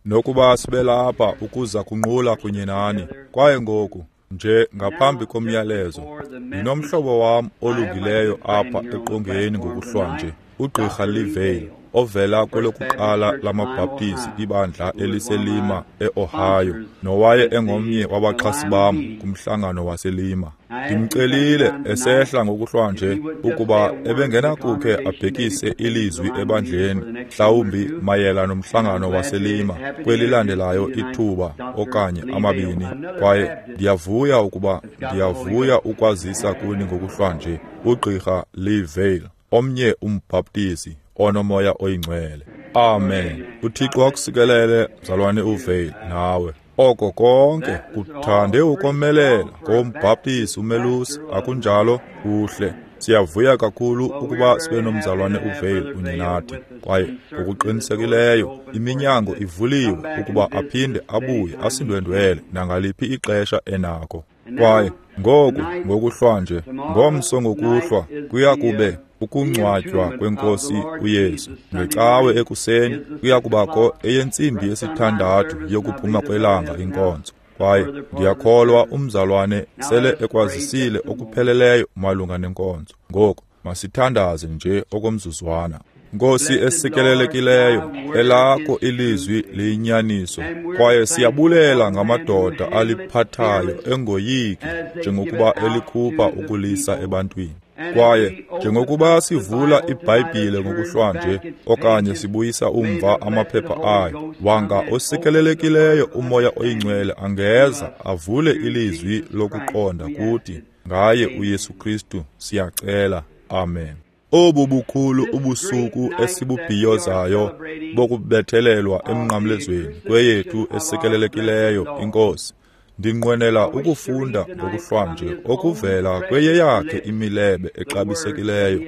Nokuba sibe lapha ukuza kunqula kunye nani. Kwaye ngoku, nje ngaphambi komyalezo, ndinomhlobo wam olungileyo apha eqongeni ngokuhlwanje, uGqirha Lee Vayle, ovela kwelokuqala lamaBhaptizi ibandla eliseLima eOhio, nowaye engomnye wabaxhasi bam kumhlangano waseLima. Ndimcelile esehla ngokuhlwanje ukuba ebengenakukhe abhekise ilizwi ebandleni, mhlawumbi mayela nomhlangano waseLima kwelilandelayo ithuba okanye amabini. Kwaye ndiyavuya ukuba ndiyavuya ukwazisa kuni ngokuhlwanje uGqirha Lee Vayle, omnye umbhaptizi onoMoya oyiNgcwele. Amen. UThixo akusikelele, mzalwane uVayle, nawe. Oko konke kuthande ukomelela ngombhaptizi umelusi, akunjalo? Kuhle. Siyavuya kakhulu ukuba sibe nomzalwane uVayle kunye nathi, kwaye ngokuqinisekileyo iminyango ivuliwe ukuba aphinde abuye asindwendwele nangaliphi ixesha enako. Kwaye ngoku ngokuhlwanje, ngomso ngokuhlwa, kuya kube ukungcwatywa kweNkosi uYesu. Ngecawe ekuseni kuya kubakho eyentsimbi yesithandathu yokuphuma kwelanga inkonzo. Kwaye ndiyakholwa umzalwane sele ekwazisile okupheleleyo malunga nenkonzo. Ngoku masithandaze nje okomzuzwana. Nkosi esikelelekileyo, elakho ilizwi liyinyaniso, kwaye siyabulela ngamadoda aliphathayo engoyiki njengokuba elikhupha ukulisa ebantwini. Kwaye njengokuba sivula iBhayibhile ngokuhlwanje okanye sibuyisa umva amaphepha ayo, wanga osikelelekileyo uMoya oyiNgcwele angeza avule ilizwi lokuqonda kuthi. Ngaye uYesu Kristu siyacela. Amen. Obu bukhulu ubusuku esibubhiyozayo bokubethelelwa emnqamlezweni kweyethu esikelelekileyo iNkosi. Ndinqwenela ukufunda ngokuhlwanje okuvela kweyeyakhe imilebe exabisekileyo,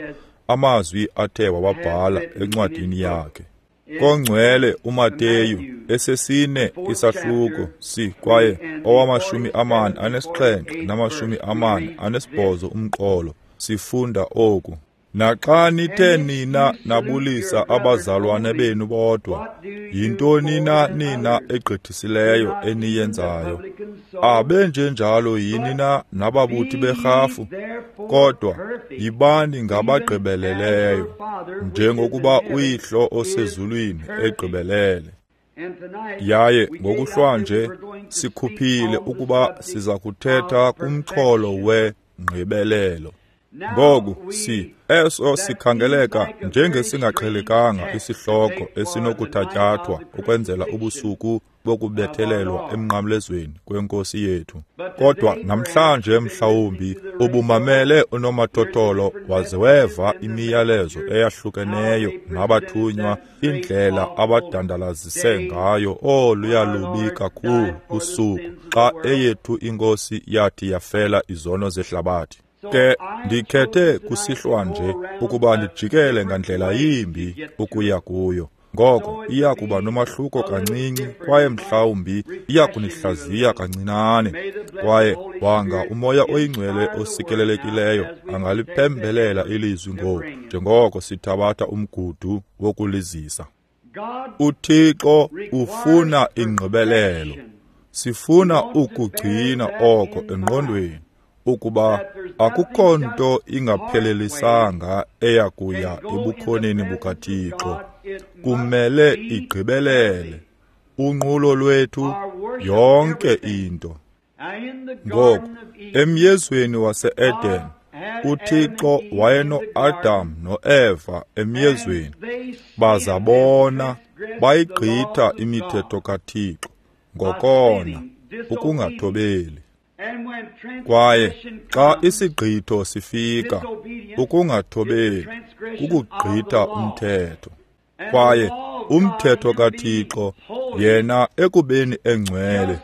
amazwi athe wawabhala encwadini yakhe. Kongcwele uMateyu esesine isahluko si kwaye owama-47 nama-48 umqolo sifunda oku. Naxa nithe nina nabulisa abazalwane benu bodwa, yintoni na nina egqithisileyo eniyenzayo? Abenjenjalo yini na nababuthi berhafu? Kodwa yibani ngabagqibeleleyo, njengokuba uYihlo osezulwini egqibelele. Yaye ngokuhlwanje sikhuphile ukuba siza kuthetha kumxholo wengqibelelo. Ngoku eso sikhangeleka njengesingaqhelekanga isihloko esinokuthatyathwa ukwenzela ubusuku bokubethelelwa emnqamlezweni kwenkosi yethu. Kodwa namhlanje mhlawumbi ubumamele unomathotholo waze weva imiyalezo eyahlukeneyo nabathunywa, indlela abadandalazise ngayo oluya lubi kakhulu usuku xa eyethu inkosi yathi yafela izono zehlabathi. Ke ndikhethe kusihlwa nje ukuba ndijikele ngandlela yimbi ukuya kuyo. Ngoko iya kuba nomahluko kancinci kwaye mhlawumbi iya kunihlaziya kancinane. Kwaye wanga uMoya oyiNgcwele osikelelekileyo angaliphembelela ilizwi ngoku njengoko sithabatha umgudu wokulizisa. UThixo ufuna ingqibelelo. Sifuna ukugcina oko engqondweni ukuba akukho nto ingaphelelisanga eya kuya ebukhoneni bukaThixo. Kumele igqibelele unqulo lwethu, yonke into. Ngoku, emyezweni wase-Eden, uThixo wayeno-Adam noEva emyezweni, baza bona bayigqitha imithetho kaThixo ngokona, ukungathobeli. Kwaye xa isigqitho sifika, ukungathobeli kukugqitha umthetho. Kwaye umthetho kaThixo, yena ekubeni engcwele,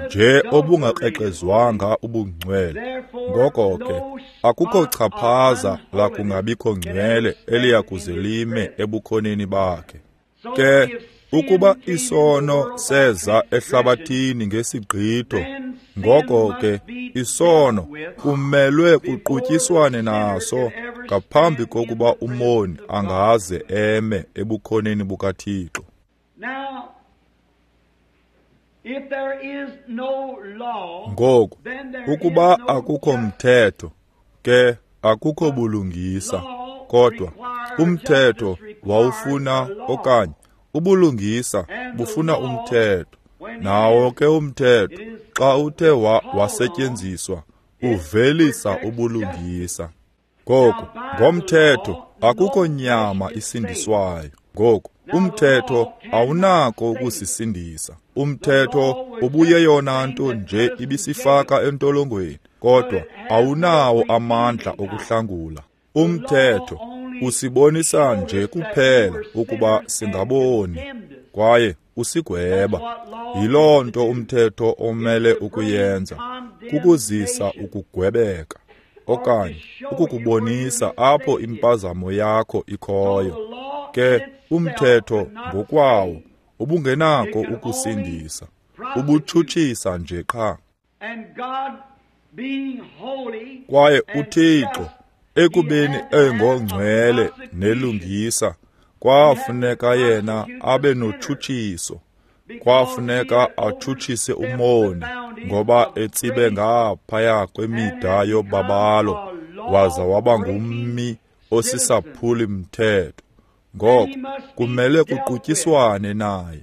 nje obungakrexezwanga ubungcwele, ngoko ke akukho chaphaza lakungabikho ngcwele eliya kuze lime ebukhoneni bakhe. Ke ukuba isono seza ehlabathini ngesigqitho, ngoko ke isono kumelwe kuqutyiswane naso ngaphambi kokuba umoni angaze eme ebukhoneni bukaThixo. Ngoku, ukuba akukho mthetho, ke akukho bulungisa, kodwa umthetho wawufuna okanye ubulungisa bufuna umthetho. Nawo ke umthetho xa uthe wasetyenziswa uvelisa ubulungisa. Ngoku, ngomthetho akukho nyama isindiswayo. Ngoku, umthetho awunako ukusisindisa. Umthetho ubuyeyona nto nje ibisifaka entolongweni, kodwa awunawo amandla okuhlangula. Umthetho usibonisa nje kuphela ukuba singaboni kwaye usigweba. Yiloo nto umthetho omele ukuyenza, kukuzisa ukugwebeka okanye ukukubonisa apho impazamo yakho ikhoyo. Ke umthetho ngokwawo ubungenako ukusindisa, ubutshutshisa nje qha. Kwaye uThixo ekubeni engongcwele nelungisa, kwafuneka yena abe notshutshiso. Kwafuneka atshutshise umoni ngoba etsibe ngaphaya kwemida yobabalo waza waba ngummi osisaphuli mthetho. Ngoko kumele kuqutyiswane naye.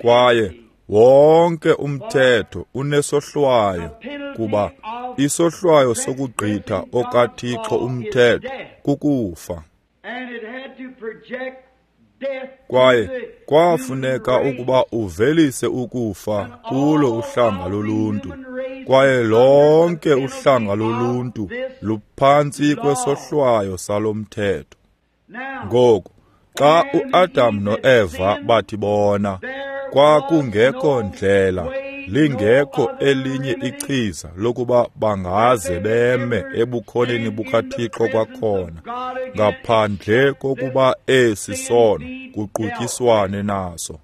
Kwaye wonke umthetho unesohlwayo, kuba isohlwayo sokugqitha okaThixo umthetho kukufa. Kwaye kwafuneka ukuba uvelise ukufa kulo uhlanga loluntu, kwaye lonke uhlanga loluntu luphantsi kwesohlwayo salo mthetho. Ngoku, xa uAdam noEva bathi bona, kwakungekho ndlela, lingekho elinye ichiza lokuba bangaze beme ebukhoneni bukaThixo kwakhona, ngaphandle kokuba esi sono kuqutyiswane naso.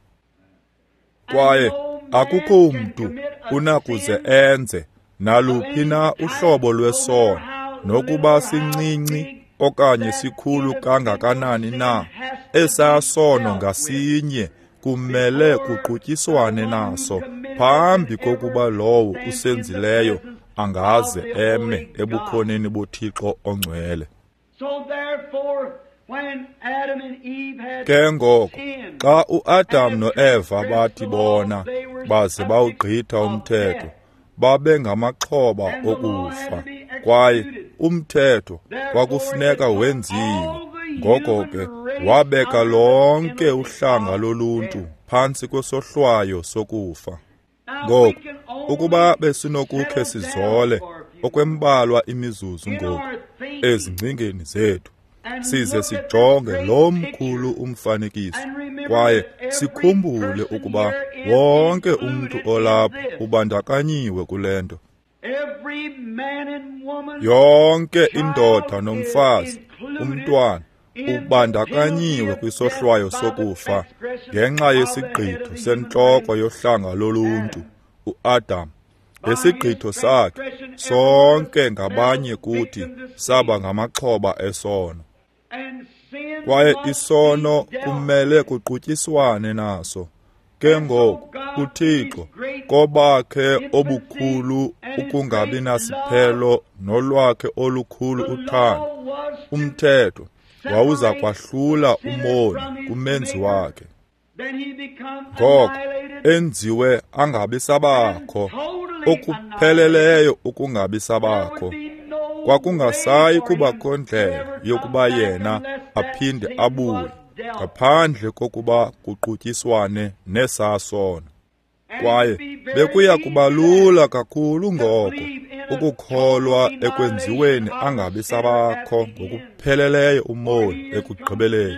Kwaye akukho mntu unakuze enze naluphi na uhlobo lwesono, nokuba sincinci okanye sikhulu kangakanani na, esaa sono ngasinye kumele kuqutyiswane naso phambi kokuba lowo usenzileyo angaze eme ebukhoneni boThixo ongcwele. Ke ngoko, xa uAdam noEva bathi bona baze bawugqitha umthetho, babengamaxhoba okufa, kwaye umthetho kwakufuneka wenziwe. Ngoko ke wabeka lonke uhlanga loluntu phantsi kwesohlwayo sokufa. Ngoku, ukuba besinokukhe sizole okwembalwa imizuzu ngoku ezingcingeni zethu, size sijonge lo mkhulu umfanekiso, kwaye sikhumbule ukuba wonke umntu olapha ubandakanyiwe kule nto. Yonke indoda nomfazi, umntwana, ubandakanyiwe kwisohlwayo sokufa ngenxa yesigqitho sentloko yohlanga loluntu, uAdam. Ngesigqitho sakhe, sonke ngabanye kuthi saba ngamaxhoba esono. Kwaye isono kumele kuqutyiswane naso. Ke ngoku uThixo kobakhe obukhulu ukungabi nasiphelo nolwakhe olukhulu uthando, umthetho wawuza kwahlula umoni kumenzi wakhe. Ngoko enziwe angabi sabakho, okupheleleyo ukungabi sabakho. Kwakungasayi kubakho ndlela yokuba yena aphinde abuye ngaphandle kokuba kuqutyiswane nesaa sono. Kwaye bekuya kuba lula kakhulu ngoko ukukholwa ekwenziweni angabi sabakho ngokupheleleyo umoni ekugqibeleni,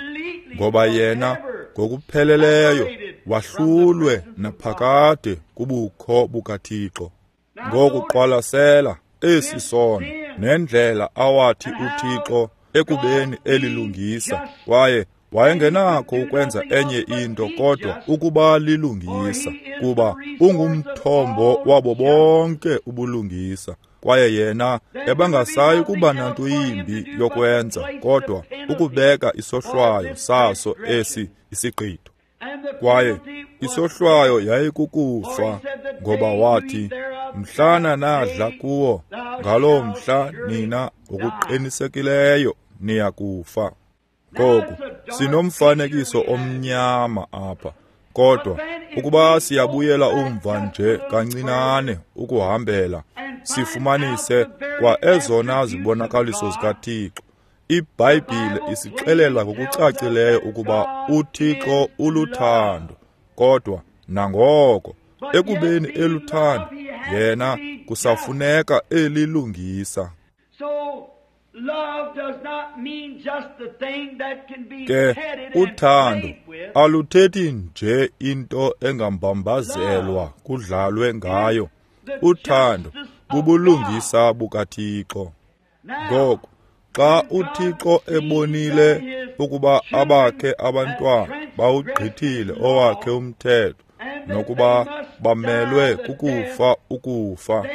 ngoba yena ngokupheleleyo wahlulwe naphakade kubukho bukaThixo. Ngoku qwalasela esi sono nendlela awathi uThixo ekubeni elilungisa, kwaye wayengenakho ukwenza enye into kodwa ukuba lilungisa, kuba ungumthombo wabo bonke ubulungisa, kwaye yena ebangasayi kuba nanto yimbi yokwenza kodwa ukubeka isohlwayo saso esi isigqitho. Kwaye isohlwayo yayikukufa, ngoba wathi, mhlana nadla kuwo, ngaloo mhla nina ngokuqinisekileyo niya kufa. Ngoku sinomfanekiso omnyama apha, kodwa ukuba siyabuyela umva nje kancinane ukuhambela, sifumanise kwa ezona zibonakaliso zikaThixo. IBhayibhile isixelela ngokucacileyo ukuba uThixo uluthando, kodwa nangoko ekubeni eluthando, yena kusafuneka elilungisa. Ke uthando aluthethi nje into engambambazelwa kudlalwe ngayo. Uthando bubulungisa bukaThixo. Ngoko xa uThixo ebonile ukuba abakhe abantwana bawugqithile owakhe umthetho nokuba bamelwe kukufa ukufa,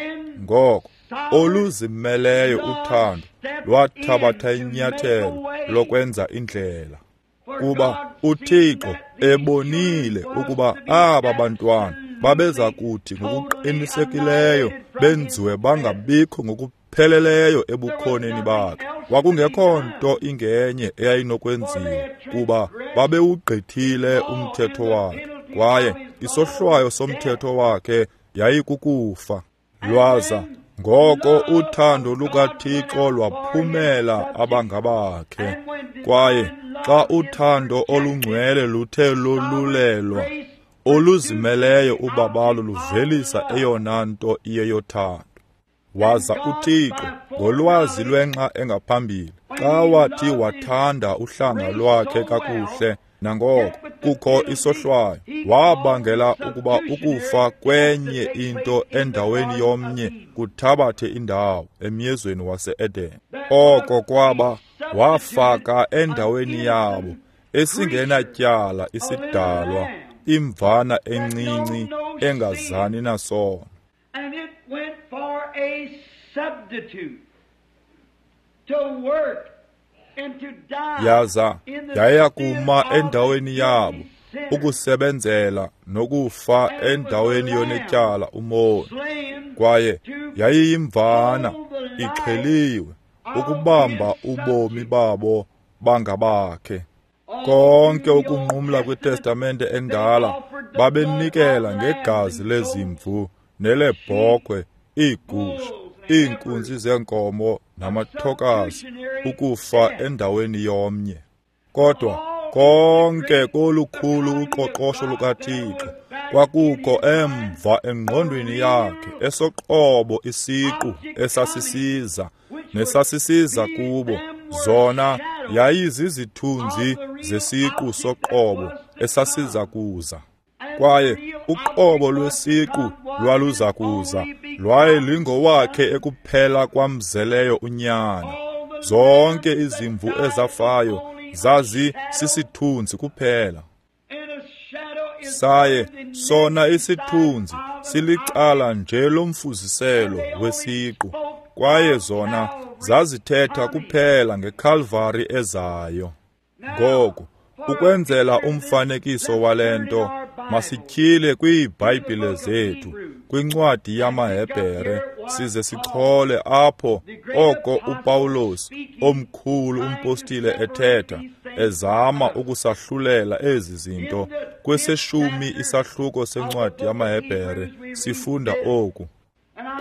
ngoko oluzimeleyo uthando lwathabatha inyathelo lokwenza indlela. Kuba uThixo ebonile ukuba aba bantwana babeza kuthi ngokuqinisekileyo benziwe bangabikho ngokupheleleyo ebukhoneni bakhe, kwakungekho nto ingenye eyayinokwenziwa, kuba babewugqithile umthetho wakhe, kwaye isohlwayo somthetho wakhe yayikukufa. Lwaza ngoko uthando lukaThixo lwaphumela abangabakhe. Kwaye xa uthando olungcwele luthe lolulelwa, oluzimeleyo ubabalo luvelisa eyona nto iyeyothando. Waza uThixo ngolwazi lwenxa engaphambili, xa wathi wathanda uhlanga lwakhe kakuhle, nangoko kukho isohlwayo, wabangela ukuba ukufa kwenye into endaweni yomnye kuthabathe indawo emyezweni wase-Eden. Oko kwaba wafaka endaweni yabo esingenatyala isidalwa, imvana encinci engazani nasono. And it went for a substitute to work and to die. Yaza yaya kuma endaweni yabo ukusebenzela nokufa endaweni yonetyala umoni. Kwaye yayiyimvana ixheliwe ukubamba ubomi babo bangabakhe. Konke ukunqumla kwiTestamente endala babenikela ngegazi lezimvu nelebhokhwe, iigusha, iinkunzi zeenkomo namathokazi ukufa endaweni yomnye. Kodwa konke kolukhulu uqoqosho lukaThixo kwakukho emva engqondweni yakhe esoqobo isiqu esasisiza nesasisiza kubo, zona yayizizithunzi zesiqu soqobo esasiza kuza. Kwaye uqobo lwesiqu lwaluza kuza, lwaye lingowakhe ekuphela kwamzeleyo unyana. Zonke izimvu ezafayo zazi sisithunzi kuphela. Saye sona isithunzi silicala nje lomfuziselo wesiqu, kwaye zona zazithetha kuphela ngeKalvari ezayo. Ngoku ukwenzela umfanekiso walento, masityhile kwiiBhayibhile zethu kwincwadi yamaHebhere size sichole apho oko uPawulos omkhulu umpostile ethetha ezama ukusahlulela ezi zinto. Kweseshumi isahluko sencwadi yamaHebhere sifunda oku: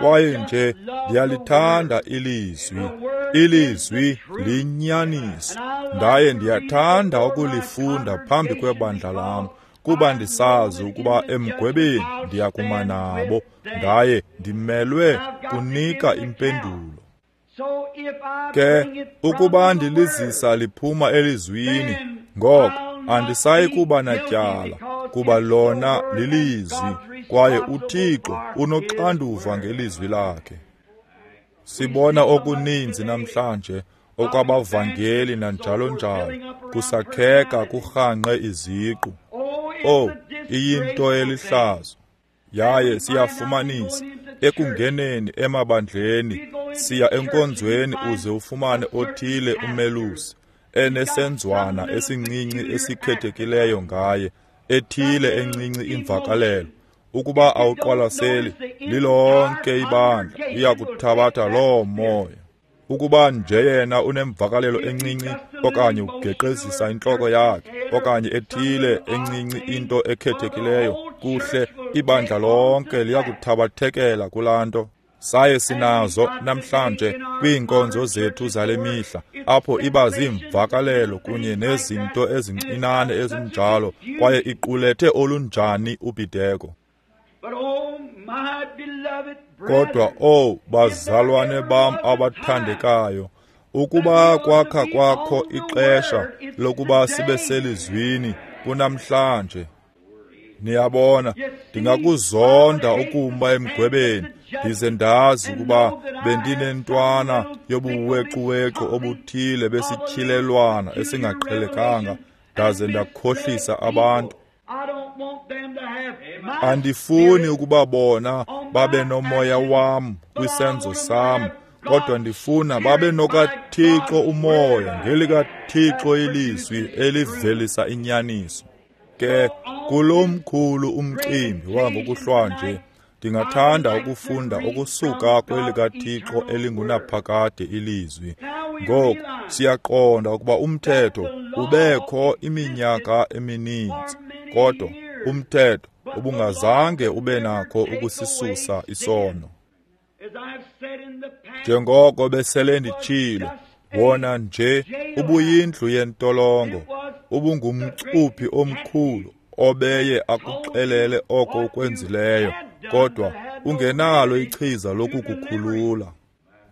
kwaye nje ndiyalithanda ilizwi, ilizwi liyinyaniso, ndaye ndiyathanda ukulifunda phambi kwebandla lam, kuba ndisazi ukuba emgwebeni ndiyakuma nabo, ndaye ndimelwe kunika impendulo. Ke ukuba ndilizisa liphuma elizwini, ngoko andisayi kuba natyala, kuba lona lilizwi, kwaye uThixo unoxanduva ngelizwi lakhe. Sibona okuninzi namhlanje okwabavangeli nanjalo njalo kusakheka kurhanqe iziqu. Oh, iyinto elihlazo. Yaye siyafumanisa ekungeneni emabandleni, siya enkonzweni uze ufumane othile umelusi enesenzwana esincinci esikhethekileyo ngaye, ethile encinci imvakalelo, ukuba awuqwalaseli, lilonke ibandla liyakuthabatha loo moya. Ukuba nje yena unemvakalelo encinci okanye ugeqezisa intloko yakhe okanye ethile encinci into ekhethekileyo, kuhle, ibandla lonke liyakuthabathekela kulaa nto. Saye sinazo namhlanje kwiinkonzo zethu zale mihla, apho iba ziimvakalelo kunye nezinto ezincinane ezinjalo, kwaye iqulethe olunjani ubhideko. Kodwa, owu bazalwane bam abathandekayo, ukuba kwakha kwakho ixesha lokuba sibe selizwini kunamhlanje. Niyabona, ndingakuzonda ukumba emgwebeni, ndize ndazi ukuba bendinentwana yobuwequwequ obuthile besityhilelwana esingaqhelekanga, ndaze ndakhohlisa abantu. Andifuni ukuba bona babe nomoya wam kwisenzo sam, kodwa ndifuna babe nokaThixo umoya, ngelikaThixo ilizwi elivelisa inyaniso. Ke kulo mkhulu umcimbi wangokuhlwanje, ndingathanda ukufunda ukusuka kwelikaThixo elingunaphakade ilizwi. Ngoku siyaqonda ukuba umthetho ubekho iminyaka emininzi, kodwa umthetho ubungazange ube nakho ukusisusa isono. Njengoko besele nditshilo, wona nje ubuyindlu yentolongo, ubungumcuphi omkhulu obeye akuxelele oko ukwenzileyo, kodwa ungenalo ichiza lokukukhulula.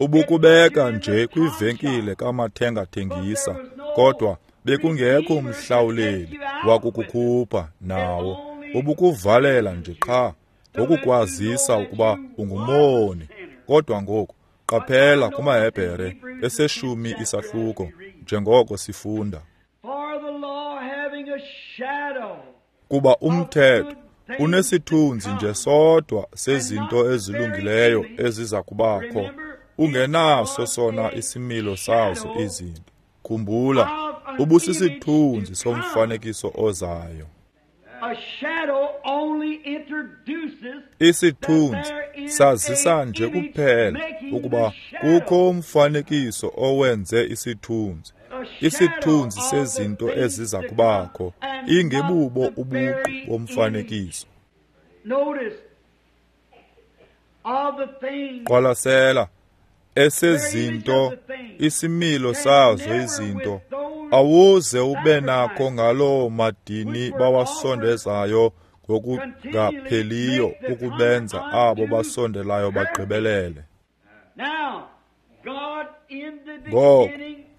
Ubukubeka nje kwivenkile kamathengathengisa, kodwa bekungekho mhlawuleli wakukukhupha nawo. Ubukuvalela nje qha ngokukwazisa ukuba ungumoni. Kodwa ngoku qaphela kumaHebhere eseshumi isahluko, njengoko sifunda. Kuba umthetho unesithunzi nje sodwa sezinto ezilungileyo eziza kubakho, ungenaso sona isimilo sazo izinto. Khumbula, ubusisithunzi somfanekiso ozayo. Isithunzi sazisa nje kuphela ukuba kukho umfanekiso owenze isithunzi, isithunzi sezinto eziza kubakho, ingebubo ubuqu bomfanekiso. Qwalasela esezinto, isimilo sazo izinto, awuze ube nakho ngaloo madini bawasondezayo ngokungapheliyo ukubenza abo basondelayo bagqibelele. Ngoko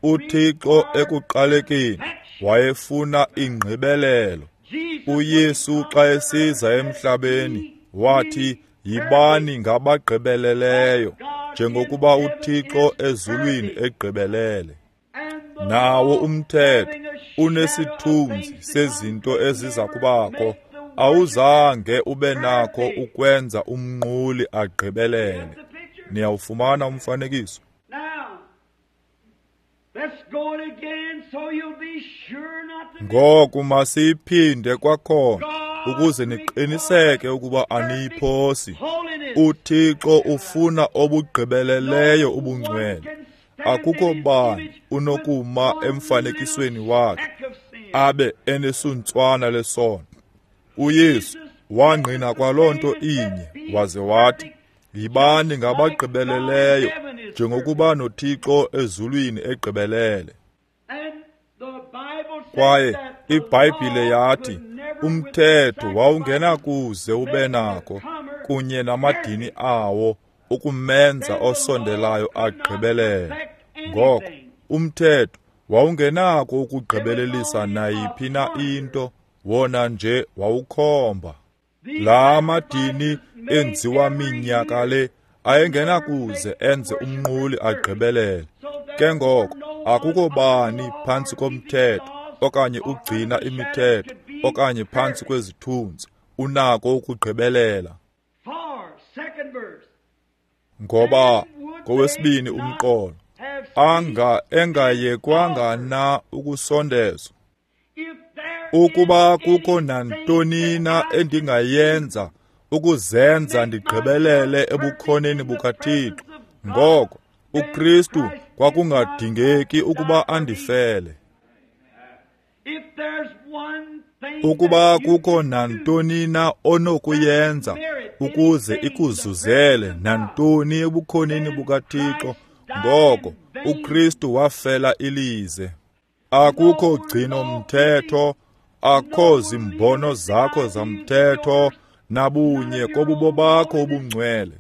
uThixo ekuqalekeni wayefuna ingqibelelo. uYesu xa esiza emhlabeni wathi, yibani ngabagqibeleleyo njengokuba uThixo ezulwini egqibelele. Nawo umthetho unesithunzi sezinto eziza kubakho, awuzange ube nakho ukwenza umnquli agqibelele. Niyawufumana umfanekiso? Ngoku masiyiphinde kwakhona ukuze niqiniseke ukuba aniyiphosi. uThixo ufuna obugqibeleleyo ubungcwele. Akukho bani unokuma emfanekisweni wakhe abe enesuntswana lesono. uYesu wangqina kwaloo nto inye, waze wathi, yibani ngabagqibeleleyo njengokuba noThixo ezulwini egqibelele. Kwaye iBhayibhile yathi umthetho wawungenakuze ube nako kunye namadini awo ukumenza osondelayo agqibelele. Ngoko umthetho wawungenako ukugqibelelisa nayiphi na into, wona nje wawukhomba. La madini enziwa minyaka le ayengenakuze enze umnquli agqibelele. Ke ngoko akukho bani phantsi komthetho okanye ugcina imithetho okanye phantsi kwezithunzi unako ukugqibelela. Ngoba kowesibini umqolo, anga engayekwanga na ukusondezwa. Ukuba kukho nantoni na endingayenza ukuzenza ndigqibelele ebukhoneni bukaThixo, ngoko uKristu kwakungadingeki ukuba andifele. Ukuba kukho nantoni na onokuyenza ukuze ikuzuzele nantoni ebukhoneni bukaThixo, ngoko uKristu wafela ilize. Akukho gcino mthetho, akho zimbono zakho zamthetho nabunye kobubo bakho ubungcwele.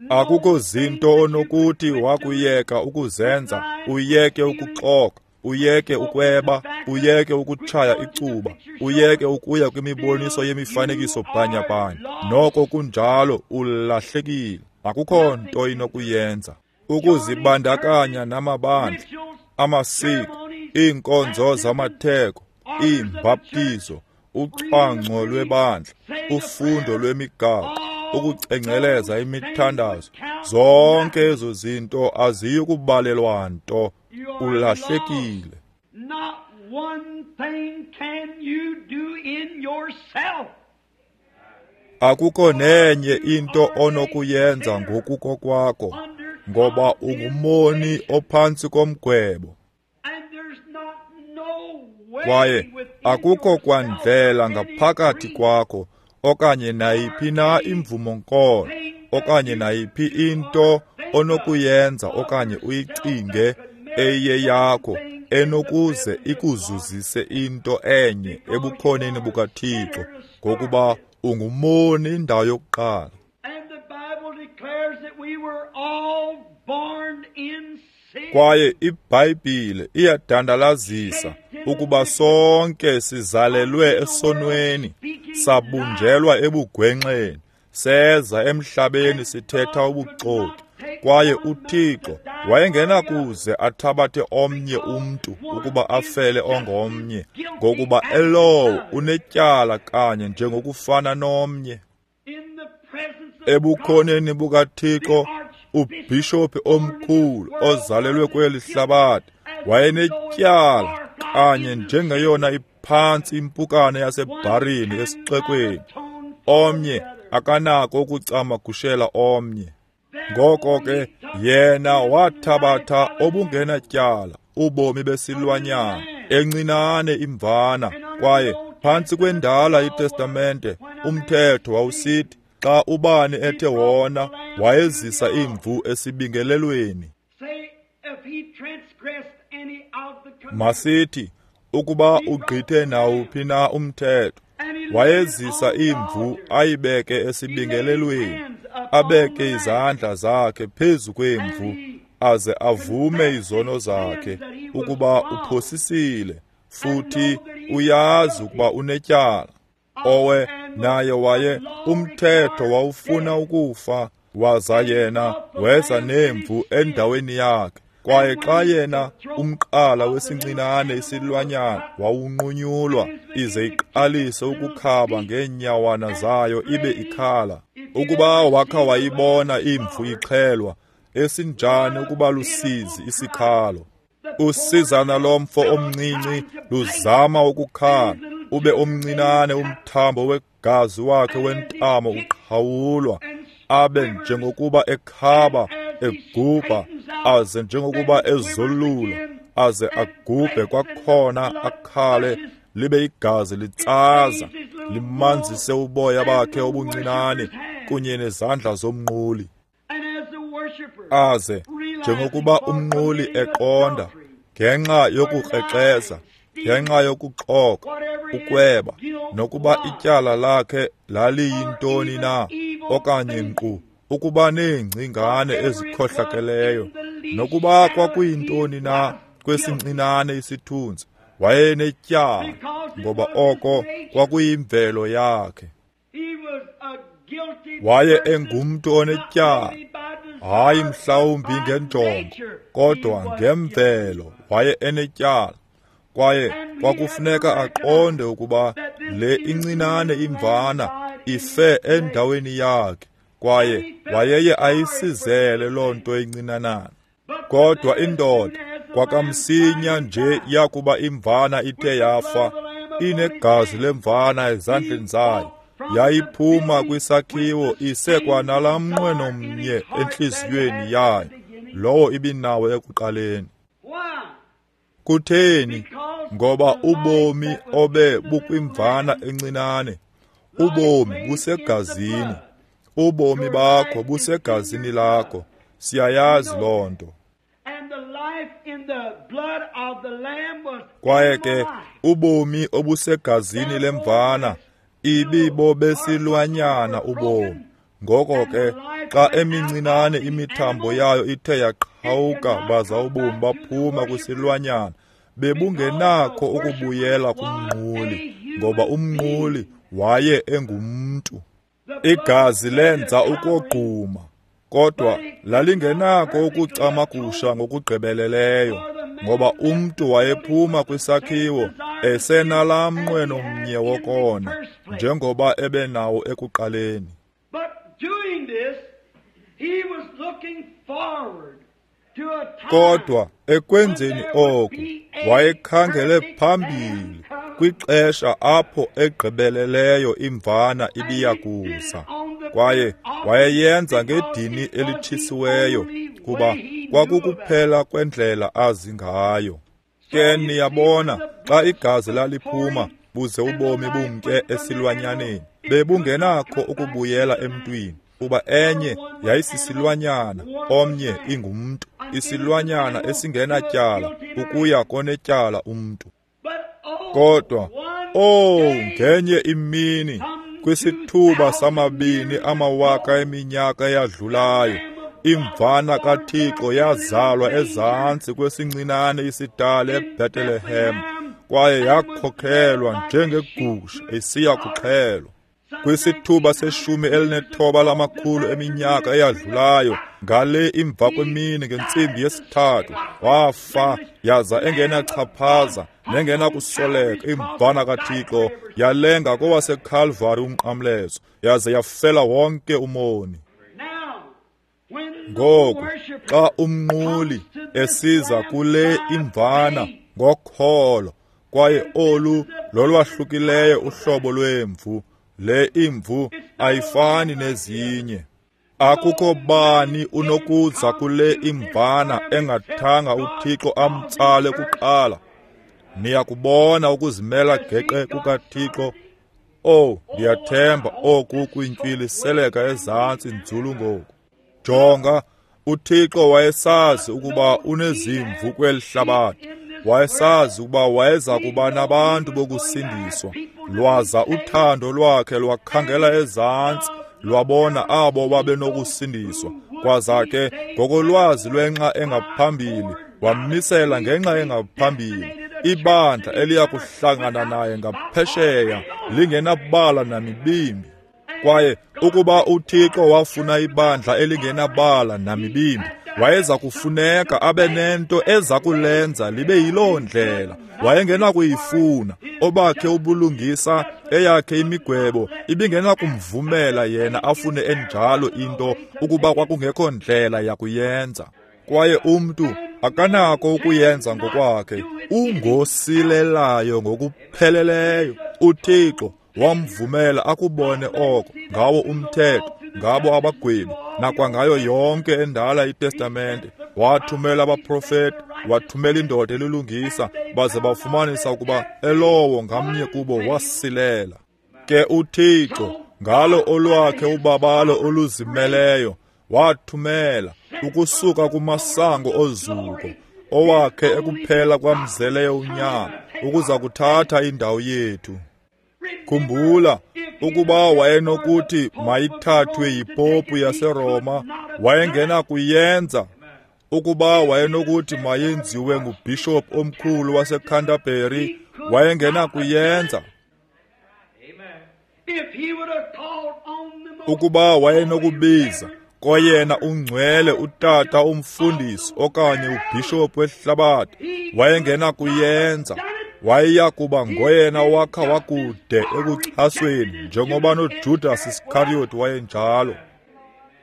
Akukho zinto onokuthi wakuyeka ukuzenza, uyeke ukuxoka, uyeke ukweba, uyeke ukutshaya icuba, uyeke ukuya kwimiboniso yemifanekiso bhanyabhanya. Noko kunjalo ulahlekile. Akukho nto inokuyenza. Ukuzibandakanya namabandla, amasiko, iinkonzo zamatheko, iimbaptizo, ucwangco lwebandla, ufundo lwemigaqo, ukucengceleza imithandazo, zonke ezo zinto aziyi kubalelwa nto. Ulahlekile. Not one thing can you do in yourself. Akukho nenye into onokuyenza ngokukokwakho, ngoba ungumoni ophantsi komgwebo. Kwaye akukho kwandlela ngaphakathi kwakho okanye nayiphi na imvumo-nkolo okanye nayiphi into onokuyenza okanye uyicinge eyeyakho enokuze ikuzuzise into enye ebukhoneni bukaThixo, ngokuba ungumoni indawo yokuqala. Kwaye iBhayibhile iyadandalazisa ukuba sonke sizalelwe esonweni, sabunjelwa ebugwenxeni, seza emhlabeni sithetha ubuxoki. Kwaye uThixo wayengenakuze athabathe omnye umntu ukuba afele ongomnye, ngokuba elowo unetyala kanye njengokufana nomnye. Ebukhoneni bukaThixo, ubhishophi omkhulu ozalelwe kweli hlabathi wayenetyala kanye njengeyona iphantsi impukane yasebharini esixekweni. Omnye akanako ukucamagushela omnye. Ngoko ke yena wathabatha obungenatyala ubomi besilwanyana encinane imvana. Kwaye phantsi kwendala iTestamente umthetho wawusithi xa ubani ethe wona wayezisa imvu esibingelelweni. Masithi ukuba ugqithe nawuphi na umthetho, wayezisa imvu ayibeke esibingelelweni, abeke izandla zakhe phezu kwemvu, aze avume izono zakhe ukuba uphosisile futhi uyazi ukuba unetyala. Owe naye waye umthetho wawufuna ukufa, waza yena weza nemvu endaweni yakhe. Kwaye xa yena umqala wesincinane isilwanyana wawunqunyulwa, ize iqalise ukukhaba ngeenyawana zayo ibe ikhala. Ukuba wakha wayibona imvu ixhelwa, esinjani ukuba lusizi isikhalo. Usizana lomfo omncinci luzama ukukhala, ube omncinane umthambo wegazi wakhe wentamo uqhawulwa, abe njengokuba ekhaba egubha, aze njengokuba ezolula, aze agubhe kwakhona akhale, libe igazi litsaza limanzise uboya bakhe obuncinane kunye nezandla zomnquli. Aze njengokuba umnquli eqonda ngenxa yokukrexeza, ngenxa yokuxoka, ukweba, nokuba ityala lakhe laliyintoni na, okanye nkqu ukuba neengcingane ezikhohlakeleyo, nokuba kwakuyintoni na kwesincinane isithunzi, wayenetyala, ngoba oko kwakuyimvelo yakhe. Waye engumntu onetyala, hayi mhlawumbi ngenjongo, kodwa ngemvelo waye enetyala. Kwaye kwakufuneka aqonde ukuba le incinane imvana ife endaweni yakhe, kwaye wayeye ayisizele loo nto incinanana. Kodwa indoda kwakamsinya nje yakuba imvana ithe yafa, inegazi lemvana ezandleni zayo, yayiphuma kwisakhiwo isekwanalaa mnqweno mnye entliziyweni yayo, lowo ibinawo ekuqaleni. Kutheni? Ngoba ubomi obe bukwimvana encinane, ubomi busegazini. Ubomi bakho busegazini lakho. Siyayazi loo nto. Kwaye ke ubomi obusegazini lemvana ibibo besilwanyana ubomi. Ngoko ke xa emincinane imithambo yayo ithe yaqhawuka baza ubomi baphuma kwisilwanyana, bebungenakho ukubuyela kumnquli, ngoba umnquli waye engumntu. Igazi lenza ukogquma, kodwa lalingenakho ukucamagusha ngokugqibeleleyo, ngoba umntu wayephuma kwisakhiwo esenalaa mnqweno mnye wokona, njengoba ebenawo ekuqaleni. Kodwa ekwenzeni oku wayekhangele phambili kwixesha apho egqibeleleyo imvana ibiya kuza, kwaye wayeyenza ngedini elitshisiweyo, kuba kwakukuphela kwendlela azi ngayo. Ke niyabona, xa igazi laliphuma buze ubomi bumke esilwanyaneni, bebungenakho ukubuyela emntwini, kuba enye yayisisilwanyana, omnye ingumntu, isilwanyana esingenatyala ukuya konetyala umntu. Kodwa, ngenye imini, kwisithuba samabini amawaka eminyaka eyadlulayo, imvana kaThixo yazalwa ezantsi kwesincinane isitali eBethlehem, kwaye yakhokhelwa njengegusha isiya kuxhelwa. Kwisithuba 19 eminyaka eyadlulayo, ngale imva kwemini ngentsimbi 3, wafa yaza engenachaphaza nengenakusoleka imvana kaThixo, yalenga kowaseKalvari umnqamlezo, yaze yafela wonke umoni. Ngoku xa umnquli esiza kule imvana ngokholo, kwaye olu lolwahlukileyo uhlobo lwemvu, le imvu ayifani nezinye. Akukho bani unokuza kule imvana engathanga uThixo amtsale kuqala. Niyakubona ukuzimela geqe kukaThixo. Ndiyathemba oku kwintyiliseleka ezantsi nzulu ngoku. Jonga, uThixo wayesazi ukuba unezimvu kweli hlabathi. Wayesazi ukuba wayeza kuba nabantu bokusindiswa. Lwaza uthando lwakhe lwakhangela ezantsi, lwabona abo babenokusindiswa. Kwaza ke ngokolwazi lwenxa engaphambili, wammisela ngenxa engaphambili ibandla eliya kuhlangana naye ngaphesheya, lingenabala namibimbi. Kwaye ukuba uThixo wafuna ibandla elingenabala namibimbi, wayeza kufuneka abe nento eza kulenza libe yiloo ndlela. Wayengenakuyifuna obakhe ubulungisa, eyakhe imigwebo ibingenakumvumela yena afune enjalo into ukuba kwakungekho ndlela yakuyenza. Kwaye umntu akanako ukuyenza ngokwakhe, ungosilelayo ngokupheleleyo. uThixo wamvumela akubone oko ngawo umthetho, ngabo abagwebi, nakwangayo yonke endala iTestamente. Wathumela abaprofeti, wathumela indoda elilungisa, baze bafumanisa ukuba elowo ngamnye kubo wasilela. Ke uThixo ngalo olwakhe ubabalo oluzimeleyo wathumela ukusuka kumasango ozuko owakhe ekuphela kwamzeleyo unyana ukuza kuthatha indawo yethu. Khumbula, ukuba wayenokuthi mayithathwe yipopu yaseRoma, wayengenakuyenza. Ukuba wayenokuthi mayenziwe ngubhishophu omkhulu waseCanterbury, wayengenakuyenza. Ukuba wayenokubiza koyena ungcwele utata umfundisi okanye ubhishophu wehlabathi, wayengenakuyenza. Wayeya kuba ngoyena wakha wakude ekuchasweni, njengoba noJudas Iscariot wayenjalo.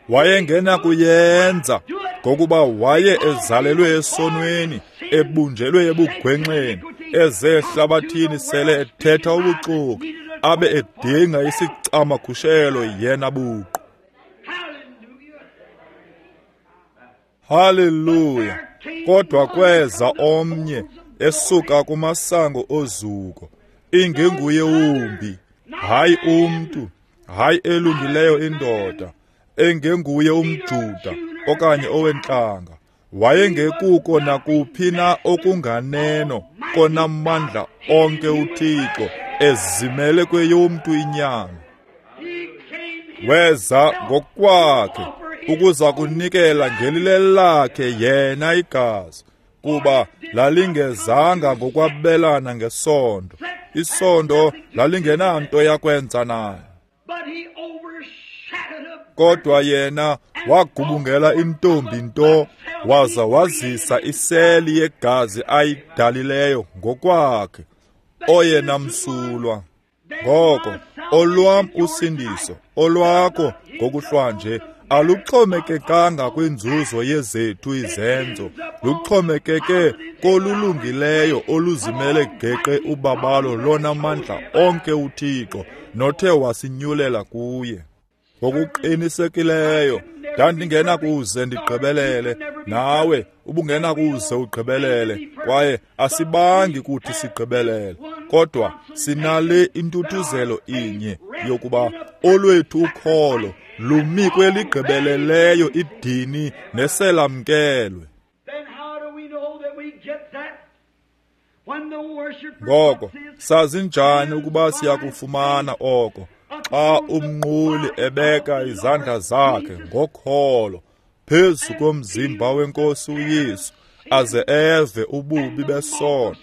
Wayengenakuyenza ngokuba waye ezalelwe esonweni, ebunjelwe ebugwenxeni, eze ehlabathini sele ethetha ubuxoki, abe edinga isicamagushelo yena buqu. Haleluya! Kodwa kweza omnye esuka kumasango ozuko, ingenguye wumbi, hayi umntu, hayi elungileyo indoda, engenguye umJuda okanye owentlanga. Wayengekuko nakuphi na okunganeno konamandla onke uThixo ezimele kweyomntu inyama. Weza ngokwakhe ukuza kunikela ngelilelakhe yena igazi, kuba lalingezanga ngokwabelana ngesondo. Isondo lalingenanto yakwenza naye. Kodwa yena wagubungela intombi nto, waza wazisa iseli yegazi ayidalileyo ngokwakhe, oyena msulwa. Ngoko olwam usindiso, olwakho ngokuhlwanje, aluxhomekekanga kwinzuzo yezethu izenzo, luxhomekeke kolulungileyo oluzimele geqe ubabalo lonamandla onke uThixo nothe wasinyulela kuye. Ngokuqinisekileyo ndandingenakuze ndigqibelele, nawe ubungenakuze ugqibelele, kwaye asibangi kuthi sigqibelele, kodwa sinale intuthuzelo inye yokuba olwethu ukholo lumi kweligqibeleleyo idini neselamkelwe. Ngoko sazi njani ukuba siyakufumana oko? Xa umnquli ebeka izandla zakhe ngokholo phezu komzimba wenkosi uYesu, aze eve ububi besono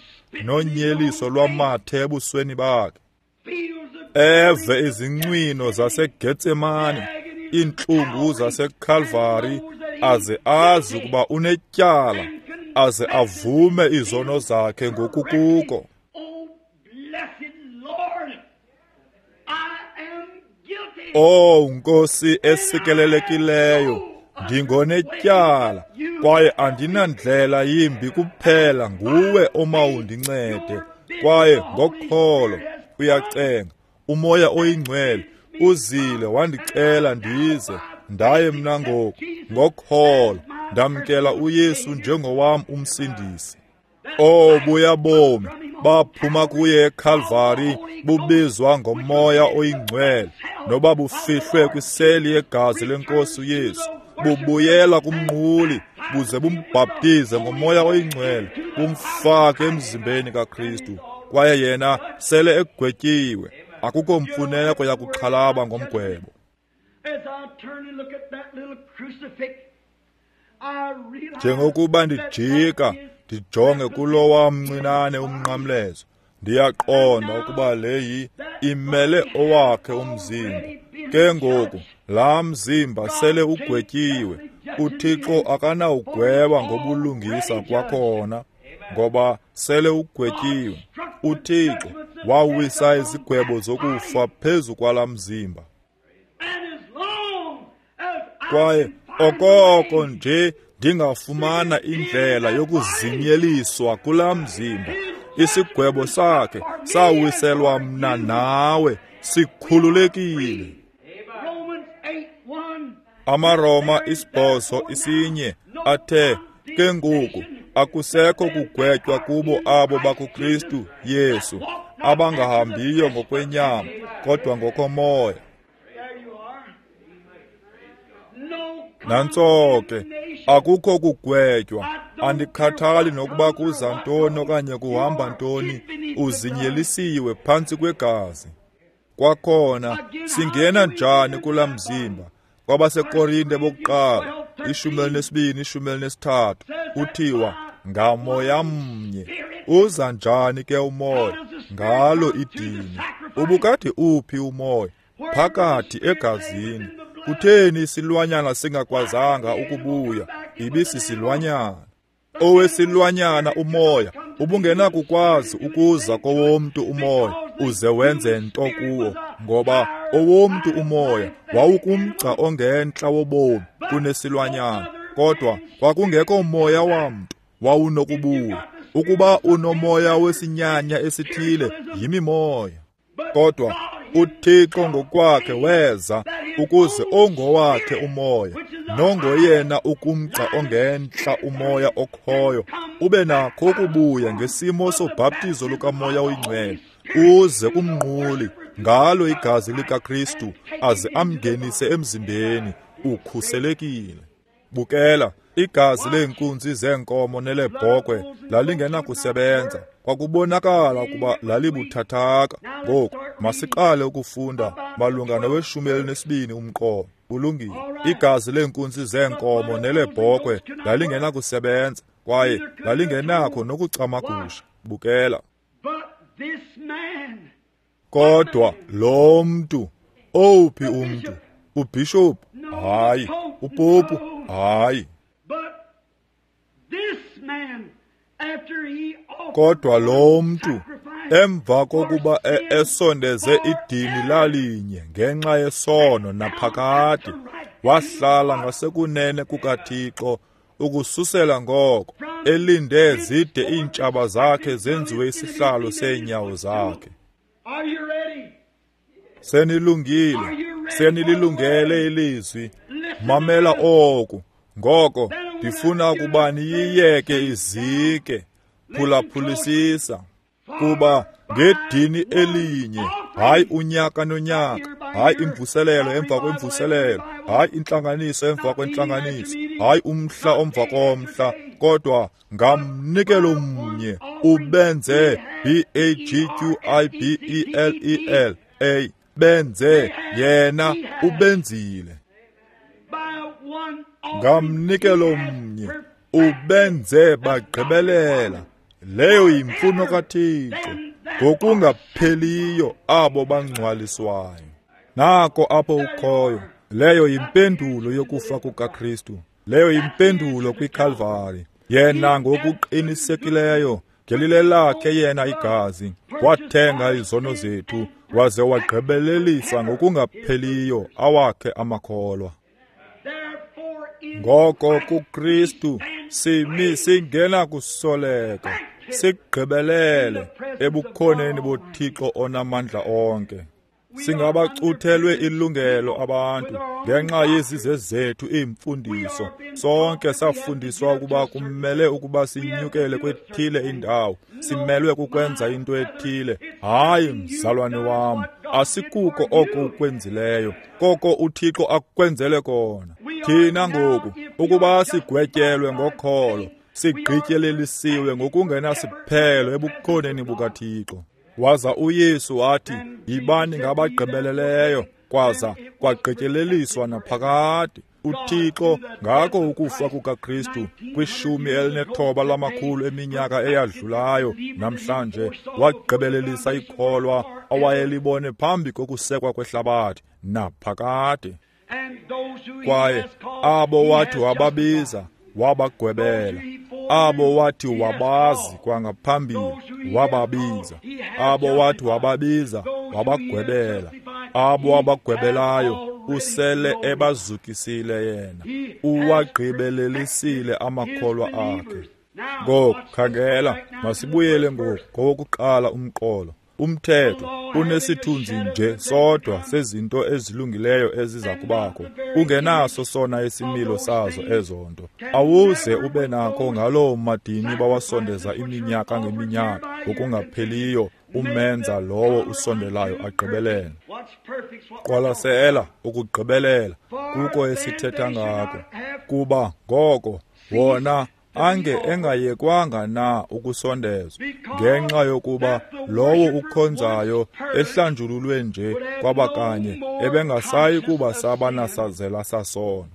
nonyeliso lwamathe ebusweni bakhe, eve izincwino zaseGetsemane, iintlungu zaseKalvari, aze azi ukuba unetyala, aze avume izono zakhe ngokukuko. Oh Nkosi esikelelekileyo, ndingonetyala kwaye andinandlela yimbi kuphela nguwe omawundincede. Kwaye ngokholo uyacenga, uMoya oyiNgcwele uzile wandicela ndize, ndaye mna ngoku ngokholo ndamkela uYesu njengowam umsindisi. Oh buya bomi baphuma kuye eKalvari, bubizwa ngoMoya oyiNgcwele, noba bufihlwe kwiseli yegazi lenkosi uYesu, bubuyela kumnquli buze bumbhaptize ngoMoya oyiNgcwele, bumfake emzimbeni kaKristu, kwaye yena sele egwetyiwe. Akukho mfuneko yakuxhalaba ngomgwebo. Njengokuba ndijika ndijonge kulowa mncinane umnqamlezo, ndiyaqonda ukuba le imele owakhe umzimba. Ke ngoku laa mzimba sele ugwetyiwe. uThixo akanawugweba ngobulungisa kwakhona, ngoba sele ugwetyiwe. uThixo wawisa izigwebo zokufa phezu kwalaa mzimba. Kwaye okoko nje ndingafumana indlela yokuzinyeliswa kulaa mzimba, isigwebo sakhe sawiselwa mna nawe, sikhululekile. AmaRoma 8:1 athe, ke ngoku akusekho kugwetywa kubo abo bakuKristu Yesu, abangahambiyo ngokwenyama kodwa ngokomoya. Nantso ke, akukho kugwetywa. Andikhathali nokuba kuza ntoni okanye kuhamba ntoni, uzinyelisiwe phantsi kwegazi. Kwakhona singena njani kulaa mzimba? KwabaseKorinte bokuqala 12 13 kuthiwa ngamoya mnye. Uza njani ke umoya? Ngalo idini. Ubukade uphi umoya? Phakathi egazini. Kutheni isilwanyana singakwazanga ukubuya? Ibisisilwanyana. Owesilwanyana umoya ubungenakukwazi ukuza kowomntu umoya uze wenze nto kuwo, ngoba owomntu umoya wawukumgca ongentla wobomi kunesilwanyana, kodwa kwakungekho moya wamntu wawunokubuya. Ukuba unomoya wesinyanya esithile, yimimoya. Kodwa uThixo ngokwakhe weza ukuze ongowakhe umoya, nongoyena ukumgca ongentla umoya okhoyo, ube nakho ukubuya ngesimo sobhaptizo lukaMoya oyiNgcwele, uze kumnquli ngalo igazi likaKristu, aze amngenise emzimbeni, ukhuselekile. Bukela, igazi leenkunzi zeenkomo nelebhokhwe lalingenakusebenza. Kwakubonakala ukuba lalibuthathaka. Ngoku masiqale ukufunda malunga noweshumi elinesibini umqolo. Kulungile. Igazi leenkunzi zeenkomo nelebhokhwe lalingenakusebenza, kwaye lalingenakho nokucamagusha. Bukela. But this man, Kodwa lo mntu, owuphi umntu? Ubhishophu? Hayi. Upopu? Hayi. but this man, after he offered Kodwa lo mntu, sacrifice emva kokuba esondeze idini lalinye ngenxa yesono naphakade, wahlala ngasekunene kukaThixo ukususela ngoko, elinde zide iintshaba zakhe zenziwe isihlalo seenyawo zakhe. Are you ready? Senilungile, senililungele ilizwi. Mamela oku. Ngoko ndifuna ukuba niyiyeke izike. Phulaphulisisa. Kuba ngedini elinye, hayi unyaka nonyaka, hayi imvuselelo emva kwemvuselelo, hayi intlanganiso emva kwentlanganiso, hayi umhla omva komhla, kodwa ngamnikelo mnye ubenze B A G Q I B E L E L A, benze yena ubenzile. By one offering, Ngamnikelo he has mnye perfected ubenze bagqibelela. Leyo yimfuno kaThixo ngokungapheliyo abo bangcwaliswayo. Nako apho ukhoyo. Leyo yimpendulo yokufa kukaKristu. Leyo yimpendulo kwiKalvari. Yena ngokuqinisekileyo ngelile lakhe yena igazi wathenga izono zethu, waze wagqibelelisa ngokungapheliyo awakhe amakholwa. Therefore, in Ngoko Christ kuKristu we stand simi singena kusoleka, sigqibelele ebukhoneni boThixo onamandla onke. Singabacuthelwe ilungelo abantu ngenxa yezize zethu iimfundiso. Sonke safundiswa ukuba kumele ukuba sinyukele kwethile indawo, simelwe kukwenza into ethile. Hayi, mzalwane wam, asikuko oko ukwenzileyo, koko uThixo akwenzele kona. Thina ngoku ukuba sigwetyelwe ngokholo, sigqityelelisiwe ngokungenasiphelo ebukhoneni bukaThixo. Waza uYesu wathi, yibani ngabagqibeleleyo, kwaza kwagqityeleliswa naphakade. uThixo ngako ukufa kukaKristu kwishumi elinethoba lamakhulu eminyaka eyadlulayo namhlanje wagqibelelisa ikholwa awayelibone phambi kokusekwa kwehlabathi naphakade. And those who he Kwaye has called, abo he wathi has wababiza wabagwebela, abo wathi wabazi kwangaphambili wababiza, abo wathi wababiza wabagwebela, abo wabagwebelayo usele ebazukisile yena, uwagqibelelisile amakholwa akhe. Ngoku khangela, masibuyele ngoku kowokuqala umqolo. Umthetho unesithunzi nje sodwa sezinto ezilungileyo eziza kubakho, ungenaso sona isimilo sazo ezo nto. Awuze ube nakho ngaloo madini bawasondeza iminyaka ngeminyaka ngokungapheliyo, umenza lowo usondelayo agqibelele. What's perfect? What Qwalasela ukugqibelela kuko esithetha ngako, kuba ngoko wona ange engayekwanga na ukusondezwa, ngenxa yokuba lowo ukhonzayo ehlanjululwe nje kwabakanye ebengasayi kuba saba nasazela sasono.